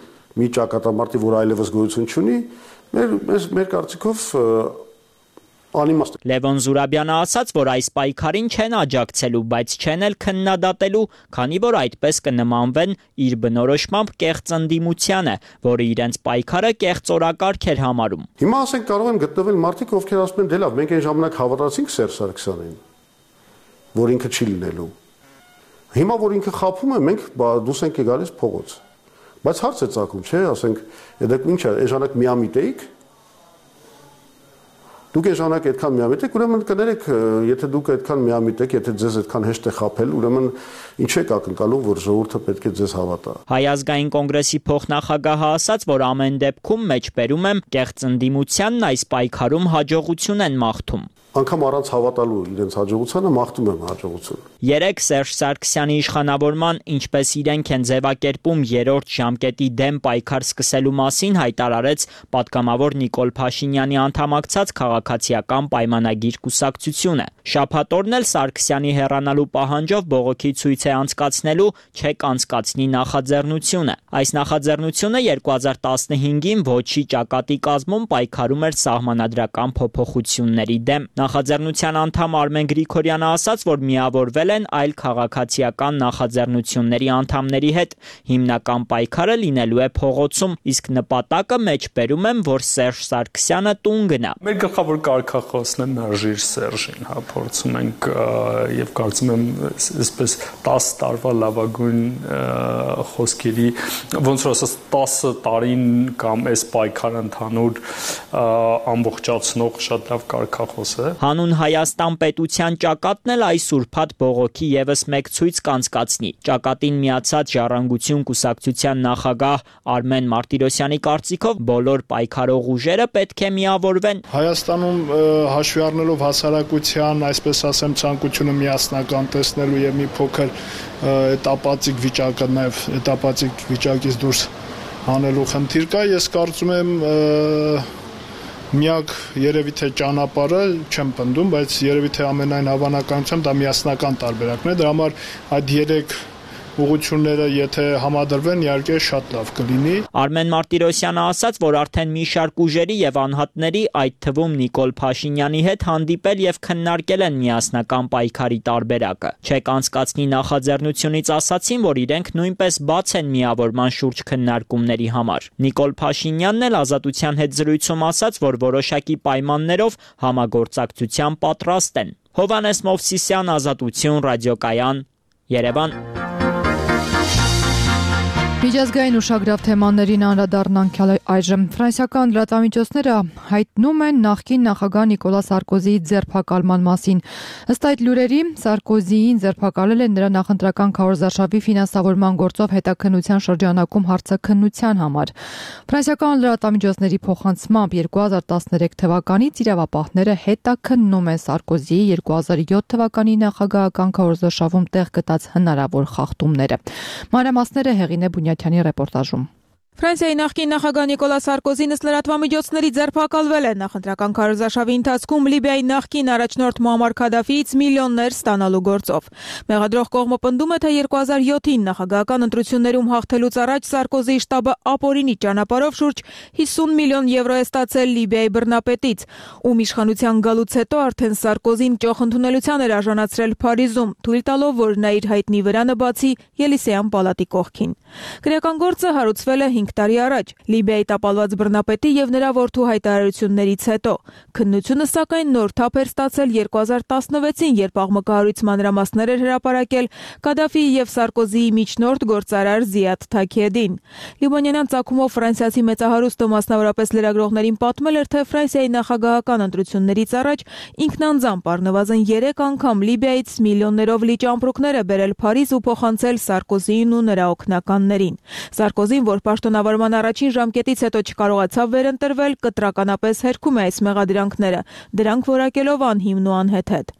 մի ճակատամարտի, որ այլևս գոյություն չունի, մեր մեր կարծիքով անիմաստ։ Լևոն Զուրաբյանը ասաց, որ այս պայքարին չեն աջակցելու, բայց չեն էլ քննադատելու, քանի որ այդպես կնմանվեն իր բնորոշմամբ կեղծ ընդդիմությանը, որը իրենց պայքարը կեղծ օրակարգ էր համարում։ Հիմա ասենք կարող են գտնվել մարդիկ, ովքեր ասում են, դե լավ, մենք այն ժամանակ հավատացինք Սերժ Սարգսյանին, որ ինքը չի լինելու։ Հիմա որ ինքը խաբում է, մենք դուս ենք գալիս փողոց։ Բայց հարց է ծագում, չէ՞, ասենք, դեք ինչ է, այս ժամանակ միամիտ էիք։ Դուք այս ժամանակ այդքան միամիտ եք, ուրեմն կներեք, եթե դուք այդքան միամիտ եք, եթե ձեզ այդքան հեշտ է խաբել, ուրեմն ինչ եք ակնկալում, որ ժողովուրդը պետք է ձեզ հավատա։ Հայ ազգային կոնգրեսի փոխնախագահը ասաց, որ ամեն դեպքում մեջբերում եմ կեղծ ընդդիմությանն այս պայքարում հաջողություն են մաղթում։ Անկամ առանց հավատալու իրենց հաջողությանը մաղթում եմ հաջողություն։ Երեք Սերժ Սարգսյանի իշխանավորման, ինչպես իրենք են ձևակերպում երրորդ ժամկետի դեմ պայքար սկսելու մասին հայտարարեց պատգամավոր Նիկոլ Փաշինյանի անդամակցած քաղաքացիական պայմանագիր կուսակցությունը։ Շաբաթ օրն էլ Սարգսյանի հեռանալու պահանջով բողոքի ցույց է անցկացնելու չեք անցկացնի նախաձեռնությունը։ Այս նախաձեռնությունը երկու հազար տասնհինգին ոչի ճակատի կազմում պայքարում էր սահմանադրական փոփոխությունների դեմ։ Նախաձեռնության անդամ Արմեն Գրիգորյանը ասաց, որ միավորվել են այլ քաղաքացիական նախաձեռնությունների անդամների հետ։ Հիմնական պայքարը լինելու է փողոցում, իսկ նպատակը մեջբերում եմ, որ Սերժ Սարգսյանը տուն գնա։ Մեր գլխավոր կարգախոսն է մերժիր Սերժին, հա, փորձում ենք եւ կարծում եմ այսպես տասը տարվա լավագույն խոսքերի, ոնց որ ասած տասը տարին կամ այս պայքարը ընդհանուր ամբողջացնող շատ լավ կարգախոս է։ Հանուն Հայաստան պետության ճակատն էլ այս ուրբաթ բողոքի եւս մեկ ցույց կանցկացնի։ Ճակատին միացած Ժառանգություն կուսակցության նախագահ Արմեն Մարտիրոսյանի կարծիքով բոլոր պայքարող ուժերը պետք է միավորվեն։ Հայաստանում հաշվի առնելով հասարակության, այսպես ասեմ, ցանկությունը միասնական տեսնելու եւ մի փոքր этаպացիկ վիճակը նաեւ этаպացիկ վիճակից դուրս հանելու խնդիր կա, ես կարծում եմ միակ երևի թե ճանապարհը չեմ պնդում, բայց երևի թե ամենայն հավանականությամբ դա միասնական տարբերակն է, դրա համար այդ երեք ուղղությունները եթե համադրվեն, իհարկե շատ լավ կլինի։ Արմեն Մարտիրոսյանը ասաց, որ արդեն մի շարք ուժերի եւ անհատների, այդ թվում Նիկոլ Փաշինյանի հետ հանդիպել եւ քննարկել են միասնական պայքարի տարբերակը։ Չեք անցկացնի նախաձեռնությունից ասացին, որ իրենք նույնպես բաց են միավորման շուրջ քննարկումների համար։ Նիկոլ Փաշինյանն էլ Ազատության հետ զրույցում ասաց, որ որոշակի պայմաններով համագործակցության պատրաստ են։ Հովհաննես Մովսիսյան, Ազատություն, ռադիոկայան, Երևան։ Միջազգային ուշագրավ թեմաներին անդրադառնանք այժմ։ Ֆրանսիական լրատվամիջոցները հայտնում են նախկին նախագահ Նիկոլա Սարկոզիի ձերբակալման մասին։ Ըստ այդ լուրերի, Սարկոզիին ձերբակալել են նրա նախընտրական քարոզարշավի ֆինանսավորման գործով հետաքննության շրջանակում հարցաքննության համար։ Ֆրանսիական լրատվամիջոցների փոխանցմամբ երկու հազար տասներեք թվականից իրավապահները հետաքննում են Սարկոզիի երկու հազար յոթ թվականի նախագահական քարոզարշավում տեղ գտած հնարավոր խախտումները։ Մանրամասները Հեղինե Բունյաթյանի ռեպորտաժում։ Ֆրանսիայի նախկին նախագահ Նիկոլա Սարկոզին ըստ լրատվամիջոցների ձերբակալվել է նախընտրական քարոզարշավի ընթացքում Լիբիայի նախկին առաջնորդ Մուամմար Քադաֆիից միլիոններ ստանալու գործով։ Մեղադրող կողմը պնդում է, թե երկու հազար յոթին նախագահական ընտրություններում հաղթելուց առաջ Սարկոզիի շտաբը ապօրինի ճանապարհով շուրջ հիսուն միլիոն եվրո է ստացել Լիբիայի բռնապետից, ում իշխանության գալուց հետո արդեն Սարկոզին ճոխ ընդունելության էր արժանացրել Փարիզում, թույլ տալով, որ նա իր հայտնի վրանը բացի Ելիսեյան պալատի կողքին։ Գրական գործը հարուցվել է հինգ տարի առաջ Լիբիայի տապալված բռնապետի եւ նրա որդու հայտարարություններից հետո։ Քննությունը սակայն նոր թափ էր ստացել երկու հազար տասնվեցին, երբ աղմկահարույց մանրամասներ էր հրապարակել Կադաֆիի եւ Սարկոզիի միջնորդ գործարար Զիադ Թաքեդին։ Լիբանանյան ցակումով ֆրանսիացի մեծահարուստը մասնավորապես լրագրողներին պատմել էր, թե Ֆրանսիայի նախագահական ընտրություններից առաջ ինքն անձամբ առնվազն երեք անգամ Լիբիայից միլիոններով լիճ ամպրոկներ է բերել Փարիզ ու փոխանցել Սարկոզիին ու նրա օգնականներին։ Սարկոզին, որ պաշտոնավարման առաջին ժամկետից հետո չկարողացավ վերընտրվել, կտրականապես հերքում է այս մեղադրանքները, դրանք որակելով անհիմն ու անհեթեթ։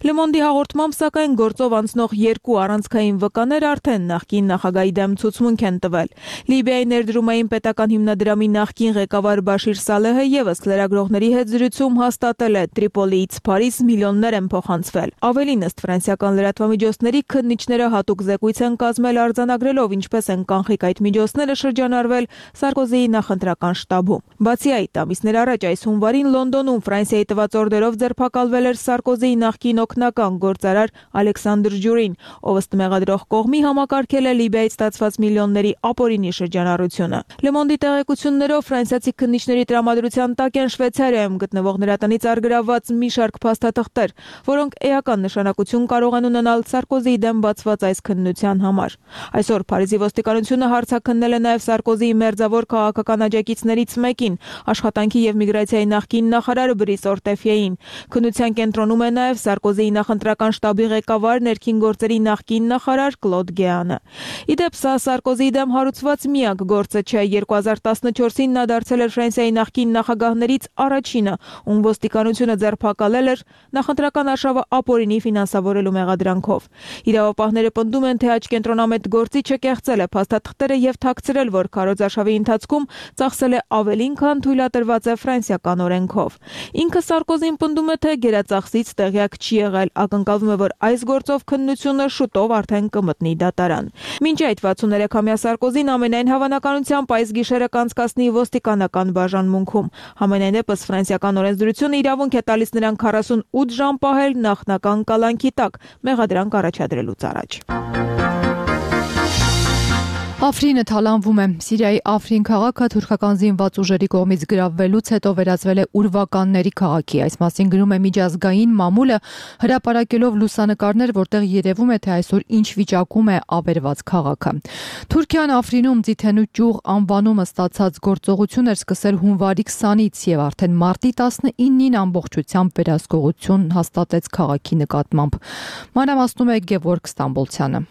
Le Monde-ի հաղորդմամբ սակայն գործով անցնող երկու առանցքային վկաներ արդեն նախկին նախագահի դեմ ցուցմունք են տվել։ Լիբիայի ներդրումային պետական հիմնադրամի նախկին ղեկավար Բաշիր Սալեհը եւս լրագրողների հետ զրույցում հաստատել է Տրիպոլիից Փարիզ միլիոններ են փոխանցվել։ Ավելին, ըստ ֆրանսիական լրատվամիջոցների, քննիչները հատուկ զեկույց են կազմել արձանագրելով ինչպես են կանխիկ այդ միջոցները շրջանառվել Սարկոզիի նախընտրական շտաբում։ Բացի այդ, ամիսներ առաջ այս հունվարին Լոնդոնում Ֆրանսիայի տված օրդերով ձերբակալվել էր Սարկոզիի նախկին օգնական գործարար Ալեքսանդր Ջուրին, ով ըստ մեղադրող կողմի համակարգել է Լիբիայից ստացված միլիոնների ապօրինի շրջանառությունը։ Le Monde-ի տեղեկություններով ֆրանսիացի քննիչների տրամադրության տակ են Շվեյցարիայում գտնվող նրա տնից արգրավված մի շարք փաստաթղթեր, որոնք էական նշանակություն կարող են ունենալ Սարկոզիի դեմ բացված այս քննության համար։ Այսօր Փարիզի ոստիկանությունը հարցաքննել է նաև Սարկոզիի մերձավոր քաղաքական աջակիցներից մեկին, աշխատանքի եւ միգրացիայի նախկին նախարար Բրիս Օրտեֆիեին։ Քննության կենտրոնում է նաև Սարկոզիի նախընտրական շտաբի ղեկավար ներքին գործերի նախկին նախարար Կլոդ Գեանը։ Իդեպ սա Սարկոզիի դեմ հարուցված միակ գործը չէ։ երկու հազար տասնչորսին նա դարձել էր Ֆրանսիայի նախկին նախագահներից առաջինը, ում ոստիկանությունը ձերբակալել էր նախընտրական արշավը ապօրինի ֆինանսավորելու մեղադրանքով։ Իրավապահները պնդում են, թե աչկենտրոնամետ գործիչը կեղծել է փաստաթղթերը եւ թաքցրել, որ քարոզարշավի ընթացքում ծախսել է ավելին, քան թույլատրված է ֆրանսիական օրենքով։ Ինքը Սարկոզին պնդում է, թե գերածախսից տեղյակ չի եղել, ակնկալվում է, որ այս գործով քննությունը շուտով արդեն կմտնի դատարան։ Մինչ այդ վաթսուններեքամյա Սարկոզին ամենայն հավանականությամբ այս գիշերը կանցկացնի ոստիկանական բաժանմունքում։ Համենայնդեպս ֆրանսիական օրենսդրությունը իրավունք է տալիս նրան քառասունութ ժամ պահել նախնական կալանքի տակ մեղադրանք առաջադրելուց առաջ։ Աֆրինը թալանվում է։ Սիրիայի Աֆրին քաղաքը թուրքական զինված ուժերի կողմից գրավվելուց հետո վերածվել է ուրվականների քաղաքի։ Այս մասին գրում է միջազգային մամուլը, հրապարակելով լուսանկարներ, որտեղ երևում է, թե այսօր ինչ վիճակում է ավերված քաղաքը։ Թուրքիան Աֆրինում ձիթենու ճյուղ անվանումը ստացած գործողություն էր սկսել հունվարի քսանից եւ արդեն մարտի տասնինին ամբողջությամբ վերահսկողություն հաստատեց քաղաքի նկատմամբ։ Մանրամասնում է Գևորգ Ստամբոլցյանը։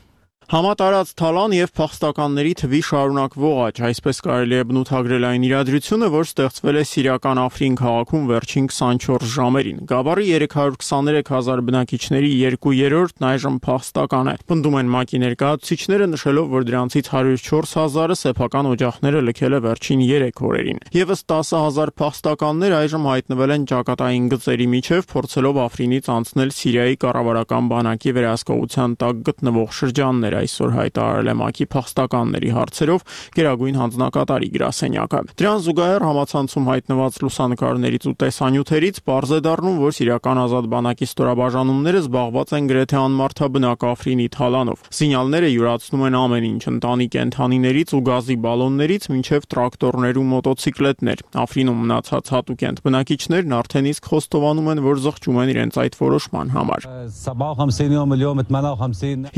Համատարած թալան եւ փախստականների թվի շարունակվող աճ, այսպես կարելի է բնութագրել այն իրադրությունը, որ ստեղծվել է սիրիական Աֆրին քաղաքում վերջին քսանչորս ժամերին։ Գաբարի երեք հարյուր քսաներեք հազար բնակիչների երկու երրորդն այժմ փախստական է։ Պնդում են ՄԱԿ-ի ներկայացուցիչները, նշելով, որ դրանցից հարյուր չորս հազարը սեփական օջախները լքել է վերջին երեք օրերին։ Եվս տասը հազար փախստականներ այժմ հայտնվել են ճակատային գծերի միջև, փորձելով Աֆրինից անցնել Սիրիայի կառավարական բանակի վերահսկողության տակ գտնվող շրջաններ, այսօր հայտարարել է ՄԱԿ-ի փախստականների հարցերով գերագույն հանձնակատարի գրասենյակը։ Դրան զուգահեռ համացանցում հայտնված լուսանկարներից ու տեսանյութերից պարզ է դառնում, որ սիրիական ազատ բանակի ստորաբաժանումները զբաղված են գրեթե անմարդաբնակ Աֆրինի թալանով։ Սինյալները յուրացնում են ամեն ինչ՝ ընտանի կենդանիներից ու գազի բալոններից մինչև տրակտորներ ու մոտոցիկլետներ։ Աֆրինում մնացած հատուկենտ բնակիչներն արդեն իսկ խոստովանում են, որ զղջում են իրենց այդ որոշման համար։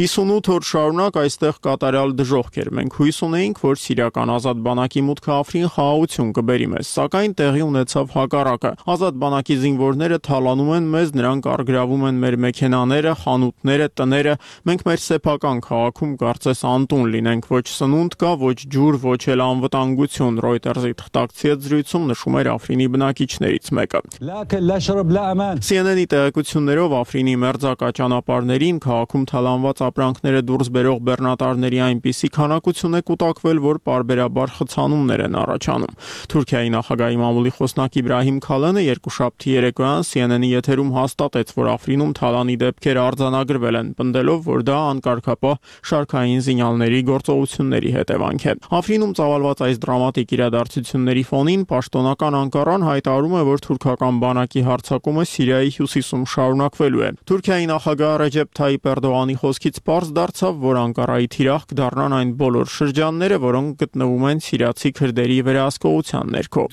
հիսունութ օր շարունակ այստեղ կատարյալ դժոխք էր։ Մենք հույս ունեինք, որ սիրիական ազատ բանակի մուտքը Աֆրին խաղաղություն կբերի մեզ, սակայն տեղի ունեցավ հակառակը։ Ազատ բանակի զինվորները թալանում են մեզ, նրանք առգրավում են մեր մեքենաները, խանութները, տները։ Մենք մեր սեփական քաղաքում կարծես անտուն լինենք, ոչ սնունդ կա, ոչ ջուր, ոչ էլ անվտանգություն, Reuters-ի թղթակցի զրույցում նշում էր Աֆրինի բնակիչներից մեկը։ C N N-ի տեղեկություններով Աֆրինի մերձակա ճանապարհներին քաղաքում թալանված ապրանքները դուրս բերող բեռնատարների այնպիսի քանակություն է կուտակվել, որ պարբերաբար խցանումներ են առաջանում։ Թուրքիայի նախագահի մամուլի խոսնակ Իբրահիմ Քալանը երկուշաբթի երեկոյան C N N-ի եթերում հաստատեց, որ Աֆրինում թալանի դեպքեր արձանագրվել են, պնդելով, որ դա անկարգապահ շարքային զինյալների գործողությունների հետևանք է։ Աֆրինում ծավալված այս դրամատիկ իրադարձությունների ֆոնին պաշտոնական Անկարան հայտարարում է, որ թուրքական բանակի հարձակումը Սիրիայի հյուսիսում շարունակվելու է։ Թուրքիայի նախագահ Ռեջեփ Թայիպ Էրդողանի խոսքից պարզ դարձավ, որ Անկարայի թիրախ կդառնան այն բոլոր շրջանները, որոնք գտնվում են սիրիացի քրդերի վերահսկողության ներքո։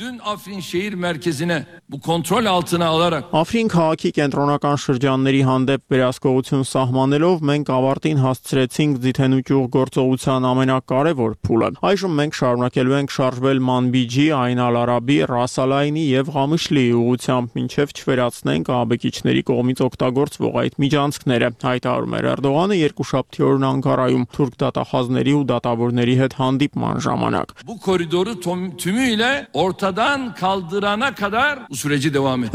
Աֆրին քաղաքի կենտրոնական շրջանների հանդեպ վերահսկողություն սահմանելով մենք ավարտին հասցրեցինք ձիթենուճյուղ գործողության ամենակարևոր փուլը։ Այժմ մենք շարունակելու ենք շարժվել Մանբիջի, Այն Ալ-Արաբի, Ռաս Ալ-Այնի եւ Ղամիշլիի ուղղությամբ, մինչեւ չվերացնենք ահաբեկիչների կողմից օգտագործվող այդ միջանցքները, հայտարարում էր Էրդողանը երկուշաբթի օրն Անկարայում թուրք դատախազների ու դատավորների հետ հանդիպման ժամանակ։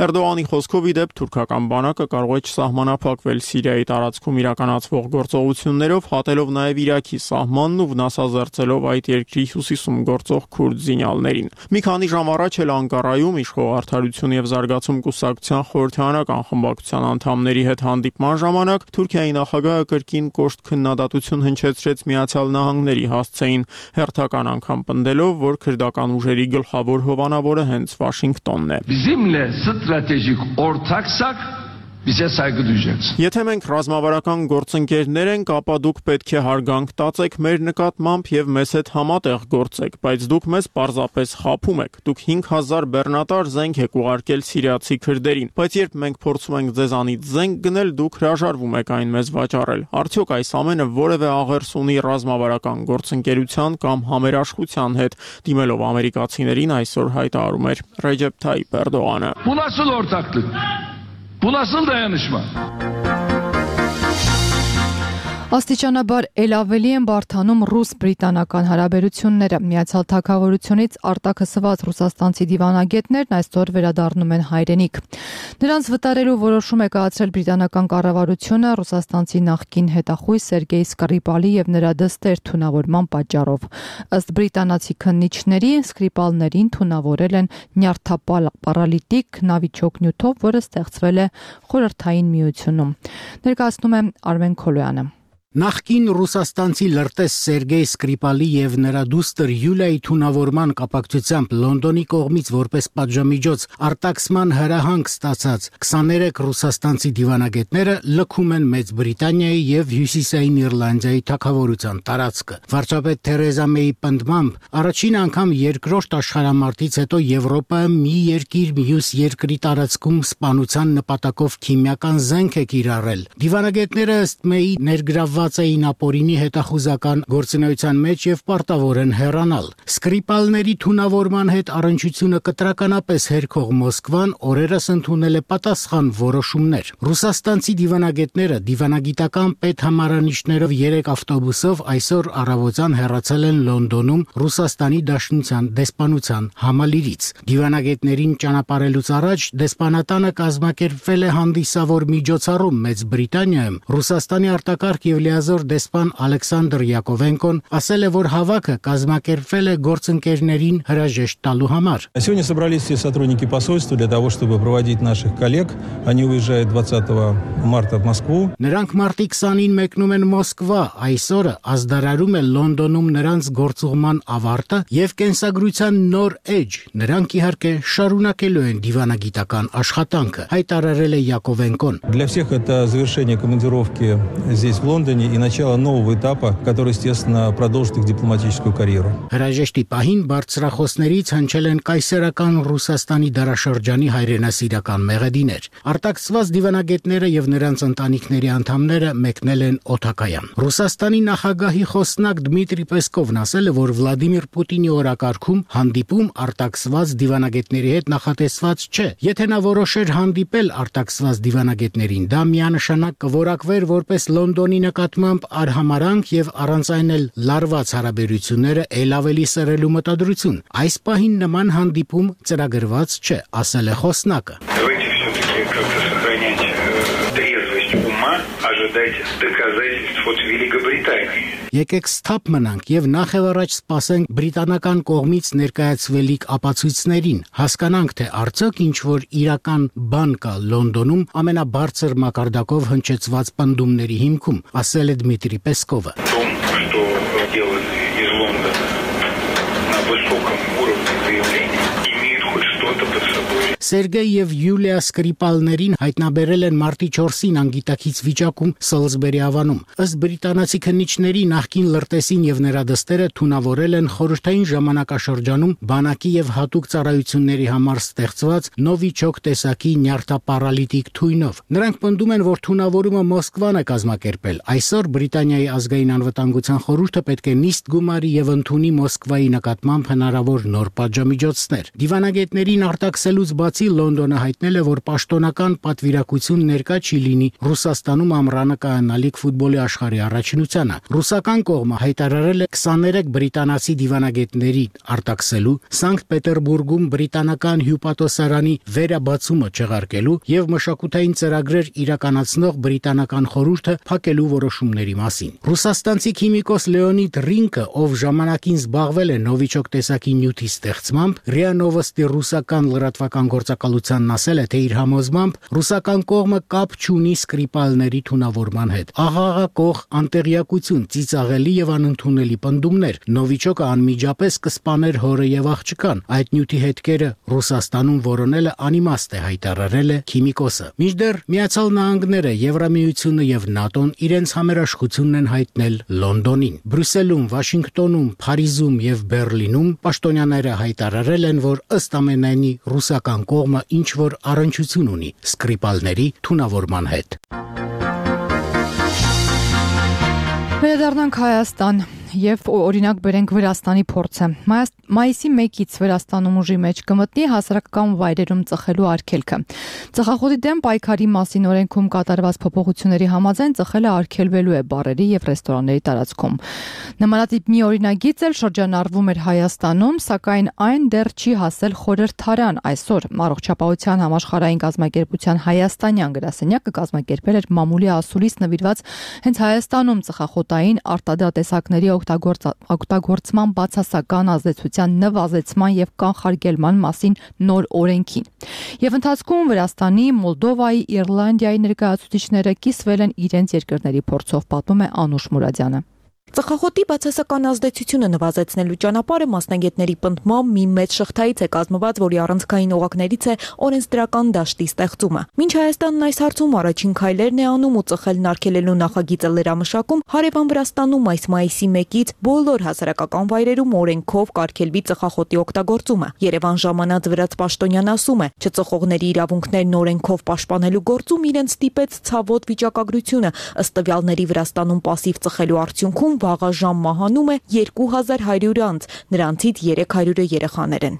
Էրդողանի խոսքով ի դեպ թուրքական բանակը կարող է չսահմանափակվել Սիրիայի տարածքում իրականացվող գործողություններով, հատելով նաև Իրաքի սահմանն ու վնասազերծելով այդ երկրի հյուսիսում գործող քուրդ զինյալներին։ Մի քանի ժամ առաջ էլ Անկարայում իշխող Արդարություն եւ զարգացում կուսակցության խորհրդարանական խմբակցության անդամների հետ հանդիպման ժամանակ Թուրքիայի նախագահը կրկին կոշտ քննադատություն հնչեցրեց Միացյալ Նահանգների հասցեին, հերթական անգամ պնդելով, որ քրդական ուժերի գլխավոր հովանավորը հենց Վաշինգտոնն է։ Bizimle stratejik ortaksak Bizə saygı duyacaksın. Եթե մենք ռազմավարական գործընկերներ ենք, ապա դուք պետք է հարգանք տածեք մեր նկատմամբ եւ մեզ հետ համատեղ գործեք, բայց դուք մեզ պարզապես խաբում եք։ Դուք հինգ հազար բեռնատար զենք եք ուղարկել սիրիացի քրդերին, բայց երբ մենք փորձում ենք ձեզանից զենք գնել, դուք հրաժարվում եք այն մեզ վաճառել։ Արդյոք այս ամենը որևէ աղերս ունի ռազմավարական գործընկերության կամ համերաշխության հետ, դիմելով ամերիկացիներին այսօր հայտարարում էր Ռեջեփ Թայիպ Էրդողանը։ Bu nasıl ortaklık? Bu nasıl dayanışma? Աստիճանաբար ել ավելի են բարդանում ռուս-բրիտանական հարաբերությունները։ Միացյալ Թագավորությունից արտաքսված ռուսաստանցի դիվանագետներն այսօր վերադառնում են հայրենիք։ Նրանց վտարելու որոշում է կայացրել բրիտանական կառավարությունը ռուսաստանցի նախկին հետախույզ Սերգեյ Սկրիպալի եւ նրա դստեր թունավորման պատճառով։ Ըստ բրիտանացի քննիչների, Սկրիպալներին թունավորել են նյարդապարալիտիկ նավիճոկ նյութով, որը ստեղծվել է Խորհրդային Միությունում։ Ներկայացնում է Արմեն Քոլոյանը։ Նախկին ռուսաստանցի լրտես Սերգեյ Սկրիպալի եւ նրա դուստր Յուլիայի թունավորման կապակցությամբ Լոնդոնի կողմից որպես պատժամիջոց արտաքսման հրահանգ ստացած քսաներեք ռուսաստանցի դիվանագետները լքում են Մեծ Բրիտանիայի եւ Հյուսիսային Իռլանդիայի թագավորության տարածքը։ Վարչապետ Թերեզա Մեյի պնդմամբ առաջին անգամ երկրորդ աշխարհամարտից հետո Եվրոպայում մի երկիր մյուս երկրի տարածքում սպանության նպատակով քիմիական զենք է կիրառել։ Դիվանագետները ըստ Մեյի ներգրավված էին ապօրինի հետախուզական գործունեության մեջ եւ պարտավոր են հեռանալ։ Սկրիպալների թունավորման հետ առնչությունը կտրականապես հերքող Մոսկվան օրերս ընդունել է պատասխան որոշումներ։ Ռուսաստանցի դիվանագետները դիվանագիտական պետհամարանիշներով երեք ավտոբուսով այսօր առավոտյան հեռացել են Լոնդոնում Ռուսաստանի Դաշնության դեսպանության համալիրից։ Դիվանագետներին ճանապարհելուց առաջ դեսպանատանը կազմակերպվել է հանդիսավոր միջոցառում Մեծ Բրիտանիայում։ Ռուսաստանի արտակարգ եւ լիազոր դեսպան Ալեքսանդր Յակովենկոն ասել է, որ հավաքը կազմակերպվել է գործընկերներին հրաժեշտ տալու համար։ Сегодня собрались все сотрудники посольства для того, чтобы проводить наших коллег. Они уезжают двадцатого марта в Москву. Նրանք մարտի քսանին մեկնում են Մոսկվա, այսօրը ազդարարում է Լոնդոնում նրանց գործուղման ավարտը եւ կենսագրության нոր էջ։ Նրանք իհարկե շարունակելու են դիվանագիտական աշխատանքը, հայտարարել է Յակովենկոն։ Для всех это завершение командировки здесь в Лондоне. завершение и начало нового этапа, который, естественно, продолжит их дипломатическую карьеру. Հրաժեշտի պահին բարձրախոսներից հնչել են կայսերական Ռուսաստանի դարաշրջանի հայրենասիրական մեղեդիներ։ Արտաքսված դիվանագետները եւ նրանց ընտանիքների անդամները մեկնել են օթակայան։ Ռուսաստանի նախագահի խոսնակ Դմիտրի Պեսկովն ասել է, որ Վլադիմիր Պուտինի օրակարգում հանդիպում արտաքսված դիվանագետների հետ նախատեսված չէ։ Եթե նա որոշեր հանդիպել արտաքսված դիվանագետներին, դա միանշանակ կորակվեր որպես Լոնդոնի նկատմամբ արհամարանք եւ առանց այն էլ լարված հարաբերությունները ել ավելի սրելու մտադրություն։ Այս պահին նման հանդիպում ծրագրված չէ, ասել է խոսնակը։ Եկեք սթափ մնանք եւ նախևառաջ սպասենք բրիտանական կողմից ներկայացվելիք ապացույցներին, հասկանանք, թե արդյոք ինչ որ իրական բան կա Լոնդոնում ամենաբարձր մակարդակով հնչեցված պնդումների հիմքում, ասել է Դմիտրի Պեսկովը։ Սերգեյ եւ Յուլիա Սկրիպալներին հայտնաբերել են մարտի չորսին անգիտակից վիճակում Սոլսբերի ավանում։ Ըստ բրիտանացի քննիչների նախկին լրտեսին եւ նրա դստերը թունավորել են խորհրդային ժամանակաշրջանում բանակի եւ հատուկ ծառայությունների համար ստեղծված Նովիչոկ տեսակի նյարդապարալիտիկ թույնով։ Նրանք պնդում են, որ թունավորումը Մոսկվան է կազմակերպել։ Այսօր Բրիտանիայի ազգային անվտանգության խորհուրդը պետք է նիստ գումարի եւ ընդունի Մոսկվայի նկատմամբ հնարավոր նոր պատժամիջոցներ։ Դիվանագետներին արտաքսելուց բացի Լոնդոնը հայտնել է, որ պաշտոնական պատվիրակություն ներկա չի լինի Ռուսաստանում ամռանը կայանալիք ֆուտբոլի աշխարհի առաջնությանը։ Ռուսական կողմը հայտարարել է քսաներեք բրիտանացի դիվանագետների արտաքսելու, Սանկտ Պետերբուրգում բրիտանական հյուպատոսարանի վերաբացումը չեղարկելու եւ մշակութային ծրագրեր իրականացնող բրիտանական խորհուրդը փակելու որոշումների մասին։ Ռուսաստանցի քիմիկոս Լեոնիդ Ռինկը, ով ժամանակին զբաղվել է Նովիչոկ տեսակի նյութի ստեղծմամբ, ՌԻԱ Նովոստի ռուսական լրատվական գործակալությանն ասել է, թե իր համոզմամբ ռուսական կողմը կապ չունի Սկրիպալների թունավորման հետ։ Աղաղակող անտեղյակություն, ծիծաղելի եւ անընդունելի պնդումներ։ Նովիչոկը անմիջապես կսպաներ հորը եւ աղջկան։ Այդ նյութի հետքերը Ռուսաստանում որոնելը անիմաստ է, հայտարարել է քիմիկոսը։ Մինչդեռ Միացյալ Նահանգները, Եվրամիությունը եւ ՆԱՏՕ-ն իրենց համերաշխությունն են հայտնել Լոնդոնին։ Բրյուսելում, Վաշինգտոնում, Փարիզում եւ Բերլինում պաշտոնյաները հայտարարել են, որ ըստ ամենայնի ռուսական կողմը ինչ որ առնչություն ունի Սկրիպալների թունավորման հետ։ Վերադառնանք Հայաստան եւ օրինակ բերենք Վրաստանի փորձը։ Մայիսի մեկից Վրաստանում ուժի մեջ կմտնի հասարակական վայրերում ծխելու արգելքը։ Ծխախոտի դեմ պայքարի մասին օրենքում կատարված փոփոխությունների համաձայն ծխելը արգելվելու է բարերի եւ ռեստորանների տարածքում։ Նմանատիպ մի օրինագիծ էլ շրջանառվում էր Հայաստանում, սակայն այն դեռ չի հասել խորհրդարան։ Այսօր Առողջապահության համաշխարհային կազմակերպության հայաստանյան գրասենյակը կազմակերպել էր մամուլի ասուլիս նվիրված հենց Հայաստանում ծխախոտային արտադրատեսակների օգտագործման բացասական ազդեցության նվազեցման եւ կանխարգելման մասին նոր օրենքին։ Եվ ընթացքում Վրաստանի, Մոլդովայի, Իռլանդիայի ներկայացուցիչները կիսվել են իրենց երկրների փորձով, պատմում է Անուշ Մուրադյանը։ Ծխախոտի բացասական ազդեցությունը նվազեցնելու ճանապարհը մասնագետների պնդմամբ մի մեծ շղթայից է կազմված, որի առանցքային օղակներից է օրենսդրական դաշտի ստեղծումը։ Մինչ Հայաստանն այս հարցում առաջին քայլերն է անում ու ծխելն արգելելու նախագիծը լրամշակում, հարևան Վրաստանում այս մայիսի մեկից բոլոր հասարակական վայրերում օրենքով կարգելվի ծխախոտի օգտագործումը։ Երևան ժամանած վրաց պաշտոնյան ասում է, չծխողների իրավունքներն օրենքով պաշտպանելու գործում իրենց ստիպեց ցավոտ վիճակագրությունը, ըստ տվյալների Վրաստանում պասիվ ծխելու արդյունքում վաղաժամ մահանում է երկու հազար հարյուր անձ, նրանցից երեք հարյուրը երեխաներ են։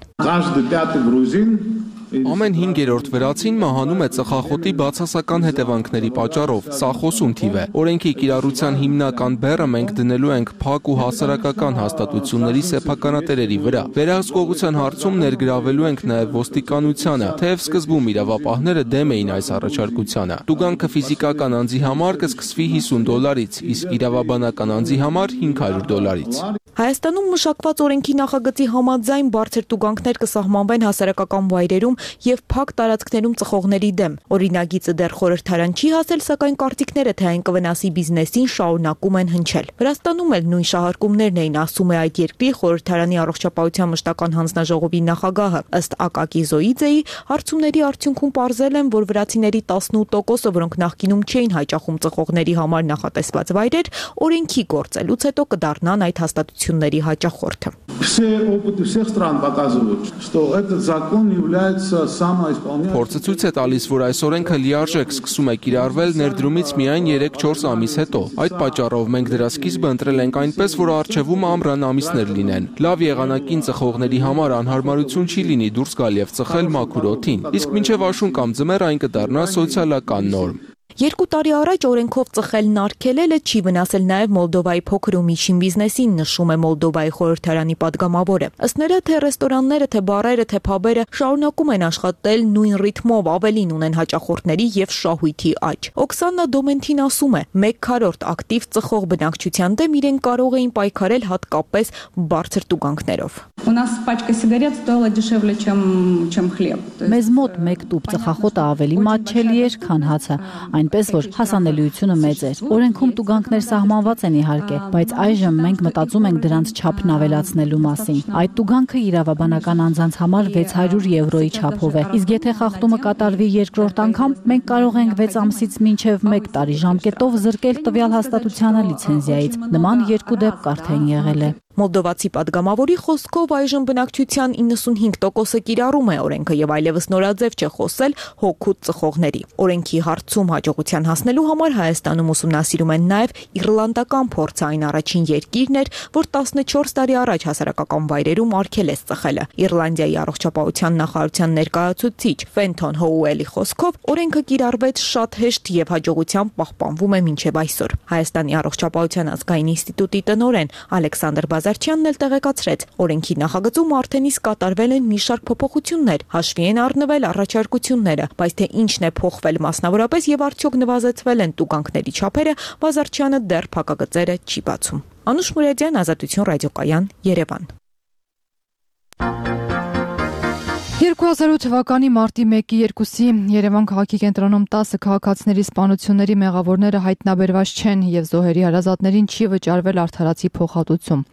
Ամեն հինգերորդ վրացին մահանում է ծխախոտի բացասական հետևանքների պատճառով։ Սա խոսուն թիվ է։ Օրենքի կիրառության հիմնական բեռը մենք դնելու ենք փակ ու հասարակական հաստատությունների սեփականատերերի վրա։ Վերահսկողության հարցում ներգրավելու ենք նաև ոստիկանությանը, թեև սկզբում իրավապահները դեմ էին այս առաջարկությանը։ Տուգանքը ֆիզիկական անձի համար կսկսվի հիսուն դոլարից, իսկ իրավաբանական անձի համար հինգ հարյուր դոլարից։ Հայաստանում մշակված օրենքի նախագծի համաձայն բարձր տուգանքներ կսահմանվեն հասարակական վայրերում եւ փակ տարածքներում ծխողների դեմ։ Օրինագիծը դեռ խորհրդարան չի հասել, սակայն կարծիքները թե այն կվնասի բիզնեսին շարունակում են հնչել։ Վրաստանում էլ նույն շահարկումներն էին, ասում է այդ երկրի խորհրդարանի առողջապահության մշտական հանձնաժողովի նախագահը։ Ըստ Ակակի Զոիձեի, հարցումների արդյունքում պարզել են, որ վրացիների տասնութ տոկոսը, որոնք նախկինում չէին հաճախում ծխողների համար նախատեսված վայրեր, օրենքի գործելուց հետո կդառնան այդ հաստատությունների հաճախորդը։ Փորձը ցույց է տալիս, որ այս օրենքը լիարժեք սկսում է կիրառվել ներդրումից միայն երեք-չորս ամիս հետո։ Այդ պատճառով մենք դրա սկիզբը ընտրել ենք այնպես, որ առջևում ամռան ամիսներ լինեն։ Լավ եղանակին ծխողների համար անհարմարություն չի լինի դուրս գալ եւ ծխել մաքուր օդին, իսկ մինչեւ աշուն կամ ձմեռ այն կդառնա սոցիալական նորմ։ Երկու տարի առաջ օրենքով ծխելն արգելելը չի վնասել նաև Մոլդովայի փոքր ու միջին բիզնեսին, նշում է Մոլդովայի խորհրդարանի падգամավորը։ Ըստ նրա, թե ռեստորանները, թե բարերը, թե փաբերը շարունակում են աշխատել նույն ռիթմով, ավելին ունեն հաճախորդների եւ շահույթի աճ։ Օքսանա Դոմենթին ասում է, մեկ քառորդ ակտիվ ծխող բնակչության դեմ իրեն կարող էին պայքարել հատկապես բարձր տուգանքներով։ Մեզ մոտ մեկ տուփ ծխախոտը ավելի մատչելի էր, քան հացը, այնպես որ հասանելիությունը մեծ էր։ Օրենքում տուգանքներ սահմանված են իհարկե, բայց այժմ մենք մտածում ենք դրանց չափն ավելացնելու մասին։ Այդ տուգանքը իրավաբանական անձանց համար վեց հարյուր եվրոյի չափով է, իսկ եթե խախտումը կատարվի երկրորդ անգամ, մենք կարող ենք վեց ամսից մինչև մեկ տարի ժամկետով զրկել տվյալ հաստատությանը լիցենզիայից։ Նման երկու դեպք արդեն եղել է։ Մոլդովացի падգամավորի խոսքով այժմ բնակչության իննսունհինգ տոկոսը կիրառում է օրենքը եւ այլևս նորաձև չէ խոսել հոգուտ ծխողների։ Օրենքի հարցում հաջողության հասնելու համար Հայաստանում ուսումնասիրում են նաեւ իռլանդական փորձը, այն առաջին երկիրն էր, որ տասնչորս տարի առաջ հասարակական վայրերում արգելեց ծխելը։ Իռլանդիայի առողջապահության նախարարության ներկայացուցիչ Ֆենթոն Հոուելի խոսքով օրենքը կիրառվեց շատ հեշտ եւ հաջողությամբ պահպանվում է մինչեւ այսօր։ Հայաստանի առողջապահության ազգային ինստիտուտի տնօրեն Ալեքսանդր Բազարչյանն էլ տեղեկացրեց, օրենքի նախագծում արդեն իսկ կատարվել են մի շարք փոփոխություններ, հաշվի են առնվել առաջարկությունները, բայց թե ինչն է փոխվել մասնավորապես եւ արդյոք նվազեցվել են տուգանքների չափերը, Բազարչյանը դեռ փակագծերը չի բացում։ Անուշ Մուրադյան, Ազատություն ռադիոկայան, Երևան։ երկու հազար ութ թվականի մարտի մեկի երկուսի Երևան քաղաքի կենտրոնում տասը քաղաքացիների սպանությունների մեղավորները հայտնաբերված չեն եւ զոհերի հարազատներին չի վճարվել արդարացի փոխհատուցում։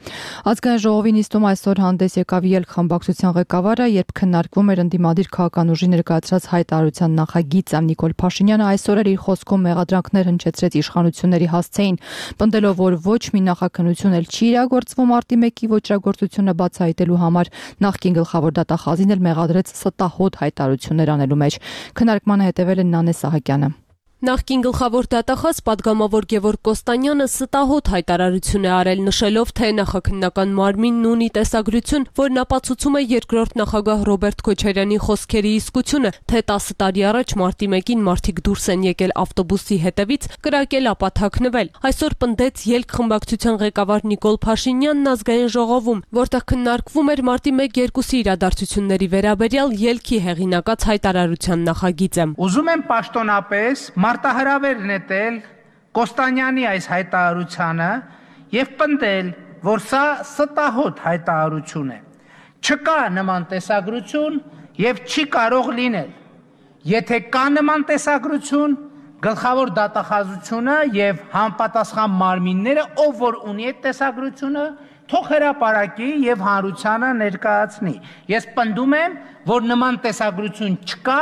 Ազգային ժողովի նիստում այսօր հանդես եկավ ելք խմբակցության ղեկավարը, երբ քննարկվում էր ընդդիմադիր քաղաքական ուժի ներկայացրած հայտարարության նախագիծը։ Նիկոլ Փաշինյանը այսօր իր խոսքում մեղադրանքներ հնչեցրեց իշխանությունների հասցեին, պնդելով, որ ոչ մի նախաքննություն էլ չի իրագործվում մարտի մեկի ոճրագործությունը բացահայտելու համար։ Նախկին գլխավոր դատախազին էլ մեղադրեց ստահոդ հայտարարություններ անելու մեջ։ Քննարկմանը հետևել է Նանե Սահակյանը։ Նախկին գլխավոր դատախազ падգամավոր Գևորգ Կոստանյանը ստահոդ հայտարարություն է արել, նշելով, թե նախաքննական մարմինն ունի տեսագրություն, որն ապացուցում է երկրորդ նախագահ Ռոբերտ Քոչարյանի խոսքերի իսկությունը, թե տասը տարի առաջ մարտի մեկին մարդիկ դուրս են եկել ավտոբուսի հետևից, կրակել ապա թաքնվել։ Այսօր պնդեց ելք խմբակցության ղեկավար Նիկոլ Փաշինյանն ազգային ժողովում, որտեղ քննարկվում էր մարտի մեկ երկուսի իրադարձությունների վերաբերյալ ելքի հեղինակած հայտարարության նախագիծը։ Ուզում եմ պաշտոնապես մարտահրավեր նետել Կոստանյանի այս հայտարարությանը եւ պնդել, որ սա ստահոդ հայտարարություն է։ Չկա նման տեսագրություն եւ չի կարող լինել։ Եթե կա նման տեսագրություն, գլխավոր դատախազությունը եւ համապատասխան մարմինները, ով որ ունի այդ տեսագրությունը, թող հրապարակի եւ հանրությանը ներկայացնի։ Ես պնդում եմ, որ նման տեսագրություն չկա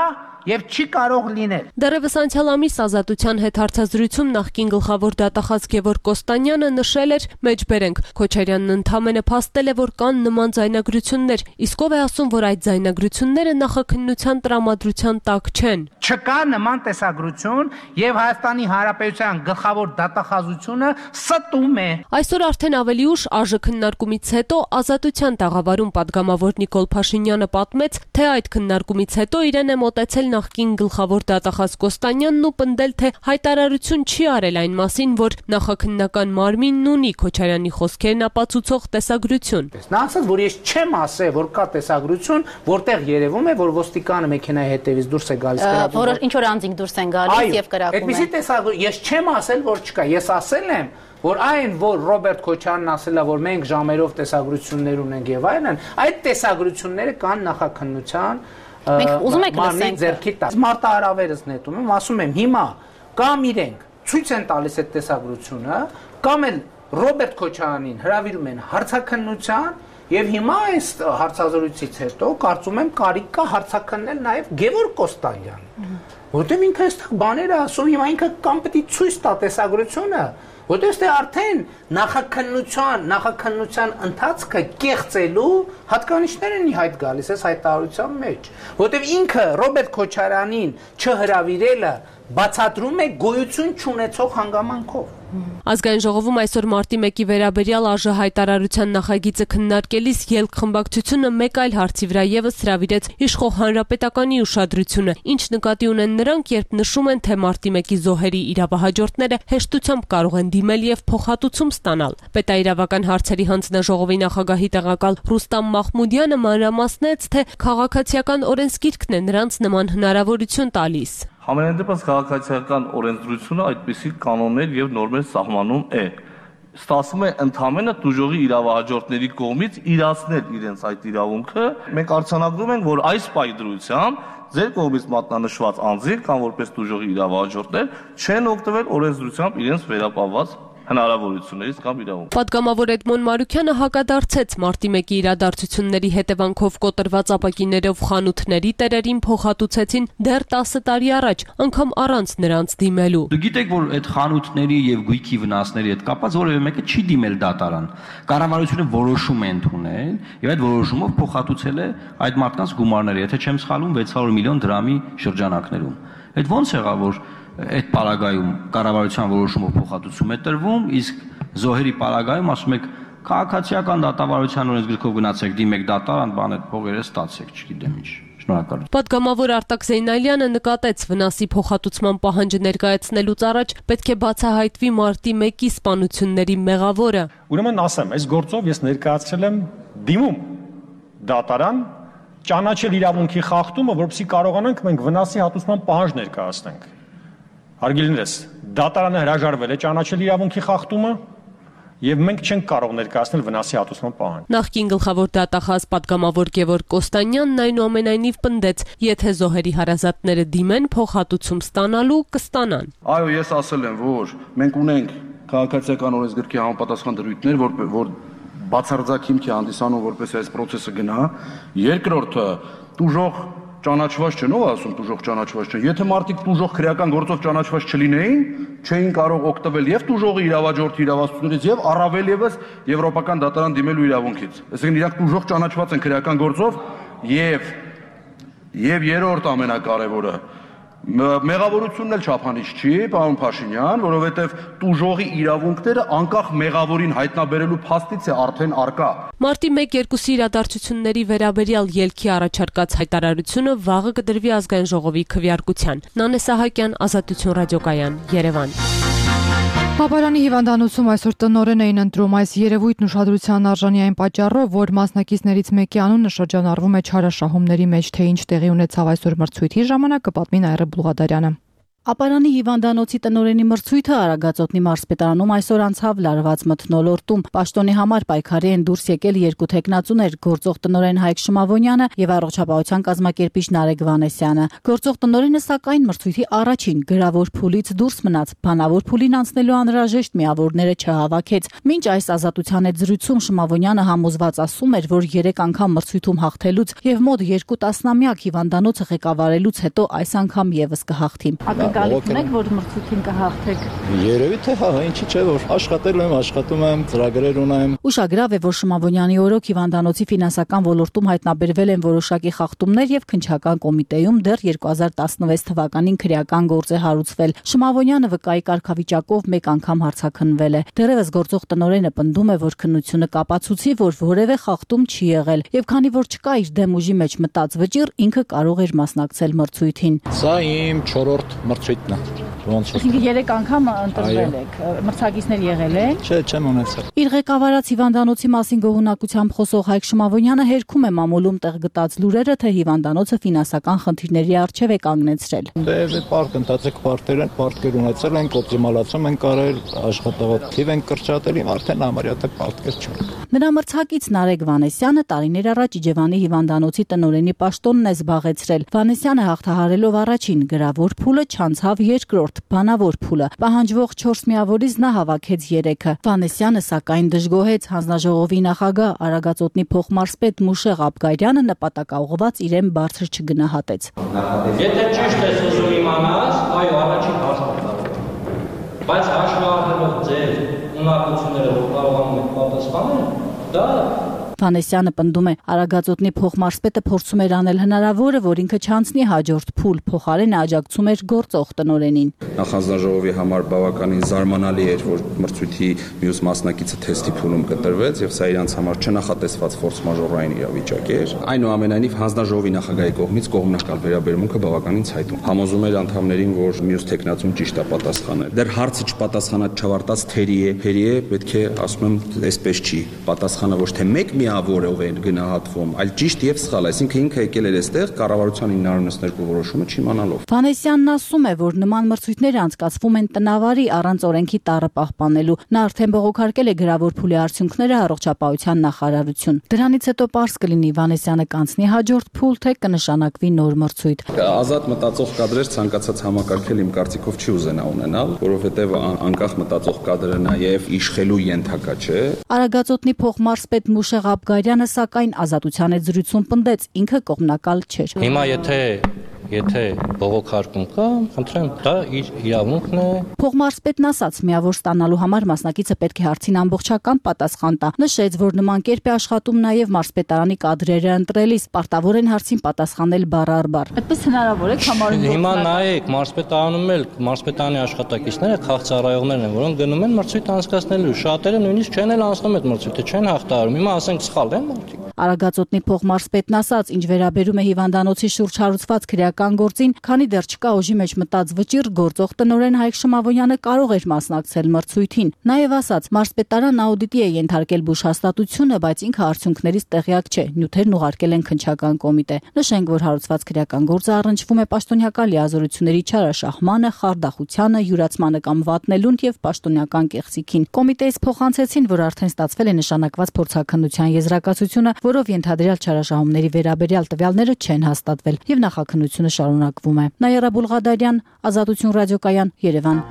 եւ չի կարող լինել։ Դեռևս անցյալ ամիս Ազատության հետ հարցազրույցում նախկին գլխավոր դատախազ Գևորգ Կոստանյանը նշել էր, մեջբերենք, Քոչարյանն ընդհանրապես փաստել է, որ կան նման ձայնագրություններ, իսկ ով է ասում, որ այդ ձայնագրությունները նախաքննության տրամադրության տակ չեն։ Չկա նման տեսագրություն եւ Հայաստանի Հանրապետության գլխավոր դատախազությունը ստում է։ Այսօր արդեն ավելի ուշ ԱԺ քննարկումից հետո Ազատության տաղավարում падգամավոր Նիկոլ Փաշինյանը պատմեց, թե այդ քննարկումից հետո իրեն է մոտեցել նախկին գլխավոր դատախազ Կոստանյանն ու պնդել, թե հայտարարություն չի արել այն մասին, որ նախաքննական մարմինն ունի Քոչարյանի խոսքերն ապացուցող տեսագրություն։ Նա ասաց, որ ես չեմ ասել, որ կա տեսագրություն, որտեղ երևում է, որ ոստիկանը մեքենայի հետևից դուրս է գալիս կրակում։ Որ ինչ որ անձինք դուրս են գալիս եւ կրակում են։ Այդպեսի տեսագրություն ես չեմ ասել, որ չկա։ Ես ասել եմ, որ այն, որ Ռոբերտ Քոչարյանն ասել է, որ մենք ժամերով տեսագրություններ ունենք եւ այլն, այդ տեսագրությունները կան նախաքննության մարմնի ձեռքի տակ։ Մարտահրավերս նետում եմ, ասում եմ, հիմա կամ իրենք ցույց են տալիս այդ տեսագրությունը, կամ էլ Ռոբերտ Քոչարյանին հրավիրում են հարցաքննության, եւ հիմա այս հարցազրույցից հետո կարծում եմ կարիք կա հարցաքննել նաեւ Գևորգ Կոստանյանին, որտեղ ինքը այստեղ բաներ է ասում, հիմա ինքը կամ պետք է ցույց տա տեսագրությունը, որտեղ այստեղ արդեն նախաքննության, նախաքննության ընթացքը կեղծելու հատկանիշներ են իհայտ գալիս այս հայտարարության մեջ, որտեղ ինքը Ռոբերտ Քոչարյանին չհրավիրելը բացատրում է գոյություն չունեցող հանգամանքով։ Ազգային ժողովում այսօր մարտի մեկի վերաբերյալ ԱԺ հայտարարության նախագիծը քննարկելիս ելք խմբակցությունը մեկ այլ հարցի վրա եւս հրավիրեց իշխող հանրապետականի ուշադրությունը, ինչ նկատի ունեն նրանք, երբ նշում են, թե մարտի մեկի զոհերի իրավահաջորդները հեշտությամբ կարող են դիմել եւ փոխհատուցում ստանալ։ Պետաիրավական հարցերի հանձնաժողովի նախագահի տեղակալ Ռուստամ Մախմուդյանը մանրամասնեց, թե քաղաքացիական օրենսգիրքն է նրանց նման հնարավորություն տալիս։ Համենայն դեպս քաղաքացիական օրենսդրությունը այդպիսի կանոններ եւ նորմեր սահմանում է։ Ստացվում է ընդհանրապես դժողի իրավահաջորդների կողմից իրացնել իրենց այդ իրավունքը։ Մենք արձանագրում ենք, որ այս պայդրությամբ ձեր կողմից մատնանշված անձինք կամ որպես դժողի իրավահաջորդներ չեն օգտվել օրենսդրությամբ իրենց վերապահված հնարավորություններից կամ իրավունք։ Պատգամավոր Էդմոն Մարուքյանը հակադարձեց մարտի մեկի իրադարձությունների հետևանքով կոտրված ապակիներով խանութների տերերին փոխհատուցեցին դեռ տասը տարի առաջ, անգամ առանց նրանց դիմելու։ Դուք գիտեք, որ այդ խանութների եւ գույքի վնասների հետ կապված որևէ մեկը չի դիմել դատարան։ Կառավարությունը որոշում է ընդունել եւ այդ որոշումով փոխհատուցել է այդ մարդկանց գումարները, եթե չեմ սխալվում, վեց հարյուր միլիոն դրամի շրջանակներում։ Այդ ո՞նց եղավ, որ այդ պարագայում կառավարության որոշումով փոխհատուցում է տրվում, իսկ զոհերի պարագայում ասում եք քաղաքացիական դատավարության օրենսգրքով գնացեք, դիմեք դատարան, բան այդ փողերը ստացեք, չգիտեմ ինչ։ Շնորհակալություն։ Պատգամավոր Արտակ Զեյնալյանը նկատեց, վնասի փոխհատուցման պահանջը ներկայացնելուց առաջ պետք է բացահայտվի մարտի մեկի սպանությունների մեղավորը։ Ուրեմն ասեմ, այս գործով ես ներկայացրել եմ դիմում դատարան ճանաչել իրավունքի խախտումը, որովհետեւ կարողանանք մենք վնասի հատուցման պահանջ ներկայացնենք։ Հարգելիներս, դատարանը հրաժարվել է ճանաչել իրավունքի խախտումը եւ մենք չենք կարող ներկայացնել վնասի հատուցման պահանջ։ Նախկին գլխավոր դատախազ պատգամավոր Գևորգ Կոստանյանն այնուամենայնիվ պնդեց, եթե զոհերի հարազատները դիմեն, փոխհատուցում ստանալու կստանան։ Այո, ես ասել եմ, որ մենք ունենք քաղաքացիական օրենսգրքի համապատասխան դրույթներ, որ որ բացարձակ հիմք է հանդիսանում, որպես այս process-ը գնա։ Երկրորդը, դժող ճանաչված չեն, ով ասում դժող ճանաչված չեն։ Եթե մարդիկ դժող քրեական գործով ճանաչված չլինեին, չէին կարող օգտվել եւ դժողի իրավաճորթի իրավասություններից եւ առավել եւս եվրոպական դատարան դիմելու իրավունքից։ Այսինքն իրանք դժող ճանաչված են քրեական գործով եւ եւ երրորդ ամենակարևորը մեղավորությունն էլ չափանիշ չի, պարոն Փաշինյան, որովհետև դժողի իրավունքները անկախ մեղավորին հայտնաբերելու փաստից է արդեն արկա։ Մարտի մեկ-երկուսի իրադարձությունների վերաբերյալ ելքի առաջարկած հայտարարությունը վաղը կդրվի ազգային ժողովի քվեարկության։ Նանե Սահակյան, Ազատություն ռադիոկայան, Երևան։ Հապարանի հիվանդանոցում այսօր տնօրեն էին ընտրում այս երևույթն ուշադրության արժանի այն պատճառով, որ մասնակիցներից մեկի անունը շրջանառվում է չարաշահումների մեջ, թե ինչ տեղի ունեցավ այսօր մրցույթի ժամանակ, կպատմի Նաիրա Բուլղադարյանը։ Ապարանի հիվանդանոցի տնօրենի մրցույթը Արագածոտնի մարզպետարանում այսօր անցավ լարված մթնոլորտում։ Պաշտոնի համար պայքարի են դուրս եկել երկու տեխնացուներ՝ գործող տնօրեն Հայկ Շմավոնյանը եւ առողջապահության կազմակերպիչ Նարեկ Վանեսյանը։ Գործող տնօրենը սակայն մրցույթի առաջին գրավոր փուլից դուրս մնաց, բանավոր փուլին անցնելու անհրաժեշտ միավորները չհավաքեց։ Մինչ այս ազատության հետ զրույցում Շմավոնյանը համոզված ասում էր, որ երեք անգամ մրցույթում հաղթելուց եւ մոտ երկու տասնամյակ հիվանդանոցը ղեկավարելուց հետո այս անգամ եւս կհաղթի։ Գալիս եք, որ մրցույթին կհաղթեք։ Երևի թե հա, ինչի՞ չէ, որ աշխատել եմ, աշխատում եմ, ծրագրեր ունեմ։ Ուշագրավ է, որ Շմավոնյանի օրոք հիվանդանոցի ֆինանսական ոլորտում հայտնաբերվել են որոշակի խախտումներ եւ քննչական կոմիտեում դեռ երկու հազար տասնվեց թվականին քրեական գործ է հարուցվել։ Շմավոնյանը վկայի կարգավիճակով մեկ անգամ հարցաքննվել է։ Դեռևս գործող տնօրենը պնդում է, որ քննությունը կապացուցի, որ որևէ խախտում չի եղել եւ քանի որ չկա իր դեմ ուժի մեջ մտած վճիռ, ինքը կարող էր մասնակցել մրցույթին։ Սա իմ չորրորդ մրցույթն է։ Ոնց է։ Ինքը երեք անգամ ընտրվել եք, մրցակիցներ եղել են։ Չէ, չեմ ունեցել։ Իր ղեկավարած հիվանդանոցի մասին գոհունակությամբ խոսող Հայկ Շմավոնյանը հերքում է մամուլում տեղ գտած լուրերը, թե հիվանդանոցը ֆինանսական խնդիրների առջև է կանգնեցրել։ Դե պարկ ընթացեք պարտեր են, պարտքեր ունեցել ենք, օպտիմալացում են կարել, աշխատավարձ թիվ են կրճատել, արդեն համարյա թե պարտքեր չունենք։ Նրա մրցակից Նարեկ Վանեսյանը տարիներ առաջ Իջևանի հիվանդանոցի տնօրենի պաշտոնն է զբաղեցրել։ Վանեսյանը հաղթահարելով առաջին գրավոր փուլը չանցավ երկրորդ բանավոր փուլը։ Պահանջվող չորս միավորից նա հավաքեց երեքը։ Վանեսյանը սակայն դժգոհեց հանձնաժողովի նախագահ Արագածոտնի փոխմարզպետ Մուշե Ղաբգարյանը նպատակաուղղված իրեն բարձր չգնահատեց։ Եթե ճիշտ ես ուզում իմանաս, այո, առաջին հարցը։ Բայց հաշվի առնելով ձեր ունակությունները, որ կարողանում եք պատասխանել, դա Վանեսյանը պնդում է, Արագածոտնի փոխմարզպետը փորձում էր անել հնարավորը, որ ինքը չանցնի հաջորդ փուլ, փոխարենը աջակցում էր գործող տնօրենին։ Նախանձնաժողովի համար բավականին զարմանալի էր, որ մրցույթի մյուս մասնակիցը թեստի փուլում կտրվեց, եւ սա իրանց համար չնախատեսված ֆորս մաժորային իրավիճակ էր։ Այնուամենայնիվ հանձնաժողովի նախագահի կողմից կողմնակալ վերաբերմունքը բավականին ցայտուն։ Համոզում էր անդամներին, որ մյուս տեխնացուն ճիշտ է պատասխանել։ Դեռ հարցը չպատասխանած չավարտած թերի է, թերի է, պետք է ասում եմ, այսպես չի։ Պատասխանը ոչ թե մեկ միավորով են գնահատվում, այլ ճիշտ եւ սխալ, այսինքն ինքը եկել էր այստեղ կառավարության ինը նոց երկու որոշումը չիմանալով։ Վանեսյանն ասում է, որ նման մրցույթները անցկացվում են տնավարի առանց օրենքի տառը պահպանելու։ Նա արդեն բողոքարկել է գրավոր փուլի արդյունքները առողջապահության նախարարություն։ Դրանից հետո պարզ կլինի Վանեսյանը կանցնի հաջորդ փուլ, թե կնշանակվի նոր մրցույթ։ Ազատ մտածող կադրեր ցանկացած համակարգել իմ կարծիքով չի ուզենա ունենալ, որովհետեւ անկախ մտածող կադրը նաեւ իշխելու ենթակա չէ։ Արագածոտնի փոխմարզպետ Մուշե Ղաբգարյանը սակայն Ազատության հետ զրույցում պնդեց, ինքը կողմնակալ չէր։ Հիմա եթե Եթե բողոքարկում կա, խնդրեմ, դա իր իրավունքն է։ Փոխմարզպետն ասաց, միավոր ստանալու համար մասնակիցը պետք է հարցին ամբողջական պատասխան տա։ Նշեց, որ նման կերպ է աշխատում նաև մարզպետարանի կադրերը ընտրելիս, պարտավոր են հարցին պատասխանել բառ առ բառ։ Այդպես հնարավոր է համարում։ Հիմա նայեք, մարզպետարանում էլ մարզպետարանի աշխատակիցները քաղցարայողներն են, որոնք գնում են մրցույթ անցկացնելու։ Շատերը նույնիսկ չեն էլ անցնում այդ մրցույթը, չեն հաղթահարում։ Հիմա ասենք սխալ են մարդիկ։ Արագածոտնի փոխմարզպետն ասաց, ինչ վերաբերում է հիվանդանոցի շուրջ հարուցված քրեական գործին, քանի դեռ չկա օժի մեջ մտած վճիռ, գործող տնօրեն Հայկ Շմավոնյանը կարող էր մասնակցել մրցույթին։ Նաև ասաց, մարզպետարան աուդիտի է ենթարկել բուժհաստատությունը, բայց ինքը արդյունքներից տեղյակ չէ։ Նյութերն ուղարկել են քննչական կոմիտե։ Նշենք, որ հարուցված քրեական գործը առնչվում է պաշտոնյական լիազորությունների չարաշահմանը, խարդախությանը, յուրացմանը կամ վատնելուն եւ պաշտոնյական կեղծիքին։ Կոմիտեից փոխանցեցին, որ արդեն ստացվել է նշանակված փորձաքննության եզրակացությունը, որով ենթադրյալ չարաշահումների վերաբերյալ տվյալները չեն հաստատվել եւ նախաքննությունը շարունակվում է։ Նաիրա Բուլղադարյան, Ազատություն ռադիոկայան, Երևան։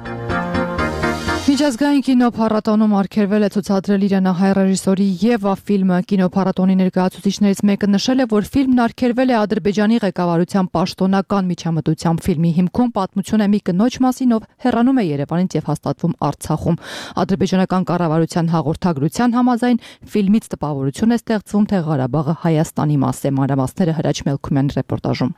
Միջազգային կինոփառատոնում արգելվել է ցուցադրել իրանահայ ռեժիսորի Եվա ֆիլմը։ Կինոփառատոնի ներկայացուցիչներից մեկը նշել է, որ ֆիլմն արգելվել է Ադրբեջանի ղեկավարության պաշտոնական միջամտությամբ։ Ֆիլմի հիմքում պատմություն է մի կնոջ մասին, ով հեռանում է Երևանից եւ հաստատվում Արցախում։ Ադրբեջանական կառավարության հաղորդագրության համաձայն ֆիլմից տպավորություն է ստեղծվում, թե Ղարաբաղը Հայաստանի մաս է։ Մանրամասները Հրաչ Մելքումյանի ռեպորտաժում։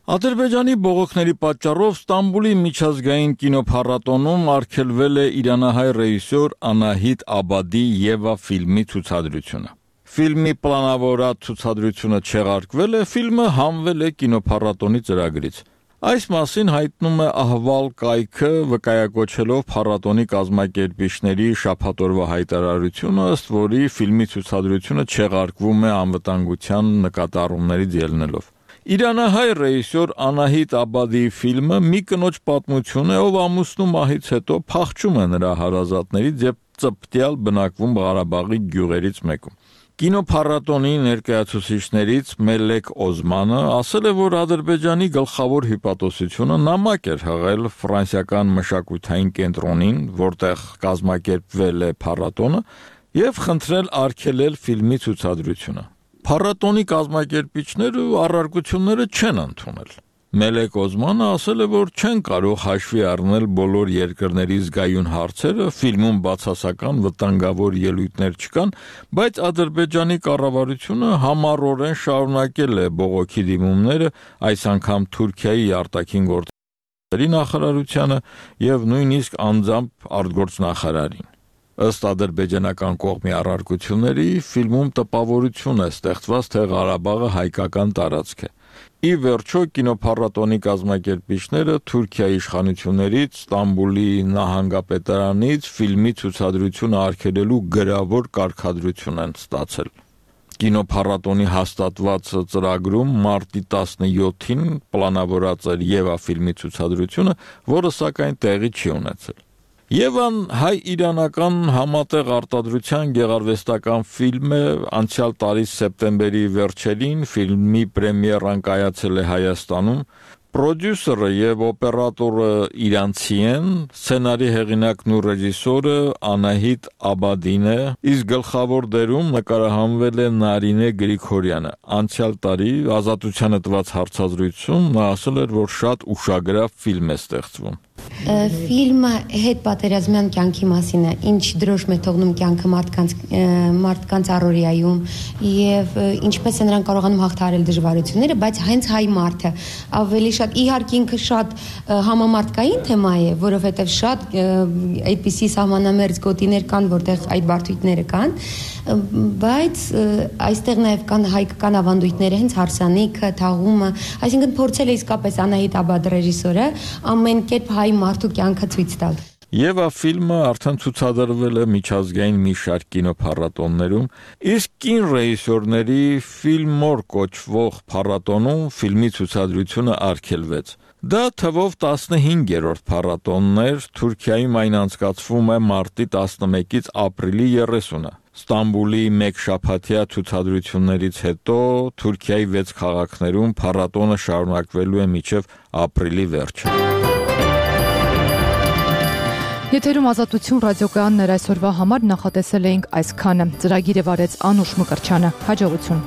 Ադրբեջանի բողոքների պատճառով Ստամբուլի միջազգային կինոփառատոնում արգելվել է իրանահայ ռեժիսոր Անահիտ Աբադի Եվա ֆիլմի ցուցադրությունը։ Ֆիլմի պլանավորած ցուցադրությունը չեղարկվել է, ֆիլմը հանվել է կինոփառատոնի ծրագրից։ Այս մասին հայտնում է Ահվալ կայքը, վկայակոչելով փառատոնի կազմակերպիչների շաբաթօրվա հայտարարությունը, ըստ որի ֆիլմի ցուցադրությունը չեղարկվում է անվտանգության նկատառումներից ելնելով։ Իրանահայ ռեժիսոր Անահիտ Աբադի ֆիլմը մի կնոջ պատմություն է, ով ամուսնու մահից հետո փախչում է նրա հարազատներից եւ ծպտյալ բնակվում Ղարաբաղի գյուղերից մեկում։ Կինոփառատոնի ներկայացուցիչներից Մելեք Օզմանը ասել է, որ Ադրբեջանի գլխավոր հիպատոսությունը նամակ էր հղել ֆրանսիական մշակութային կենտրոնին, որտեղ կազմակերպվել է փառատոնը, եւ խնդրել արգելել ֆիլմի ցուցադրությունը։ Փառատոնի կազմակերպիչները առարկությունները չեն ընդունել։ Մելեք Օզմանը ասել է, որ չեն կարող հաշվի առնել բոլոր երկրների զգայուն հարցերը, ֆիլմում բացասական վտանգավոր ելույթներ չկան, բայց Ադրբեջանի կառավարությունը համառորեն շարունակել է բողոքի դիմումները, այս անգամ Թուրքիայի արտաքին գործերի նախարարությանը եւ նույնիսկ անձամբ արտգործնախարարին։ Ըստ ադրբեջանական կողմի առարկությունների, ֆիլմում տպավորություն է ստեղծված, թե Ղարաբաղը հայկական տարածք է։ Ի վերջո կինոփառատոնի կազմակերպիչները Թուրքիայի իշխանություններից Ստամբուլի նահանգապետարանից ֆիլմի ցուցադրությունը արգելելու գրավոր կարգադրություն են ստացել։ Կինոփառատոնի հաստատված ծրագրում մարտի տասնյոթին պլանավորած էր Եվա ֆիլմի ցուցադրությունը, որը սակայն տեղի չի ունեցել։ Եվան հայ-իրանական համատեղ արտադրության գեղարվեստական ֆիլմ է, անցյալ տարի սեպտեմբերի վերջերին ֆիլմի պրեմիերան կայացել է Հայաստանում։ Պրոդյուսերը եւ օպերատորը իրանցի են, սցենարի հեղինակն ու ռեժիսորը Անահիտ Աբադին է, իսկ գլխավոր դերում նկարահանվել է Նարինե Գրիգորյանը։ Անցյալ տարի Ազատությանը տված հարցազրույցում նա ասել էր, որ շատ ուշագրավ ֆիլմ է ստեղծվում։ Ֆիլմը հետ պատերազմյան կյանքի մասին է, ինչ դրոշ է թողնում կյանքը մարդկանց մարդկանց առօրյայում եւ ինչպես է նրանք կարողանում հաղթահարել դժվարությունները, բայց հենց հայ մարդը ավելի շատ իհարկե ինքը շատ համամարտկային թեմա է, որովհետեւ շատ այդպիսի սահմանամերձ գոտիներ կան, որտեղ այդ բարդույթները կան, բայց այստեղ նաեւ կան հայկական ավանդույթները, հենց հարսանիքը, թաղումը, այսինքն փորձել է իսկապես Անահիտ Աբադ ռեժիսորը ամեն կերպ հայ մարդու կյանքը ցույց տալ։ Եվա ֆիլմը արդեն ցուցադրվել է միջազգային մի շարք կինոփառատոններում, իսկ կին ռեժիսորների Ֆիլմոր կոչվող փառատոնում ֆիլմի ցուցադրությունը արգելվեց։ Դա թվով տասնհինգերորդ փառատոնն էր, Թուրքիայում այն անցկացվում է մարտի տասնմեկից ապրիլի երեսունը։ Ստամբուլի մեկ շաբաթյա ցուցադրություններից հետո Թուրքիայի վեց քաղաքներում փառատոնը շարունակվելու է մինչև ապրիլի վերջը։ Եթերում Ազատություն ռադիոկայաններ այսօրվա համար նախատեսել էինք այսքանը։ Ծրագիրը վարեց Անուշ Մկրչյանը։ Հաջողություն։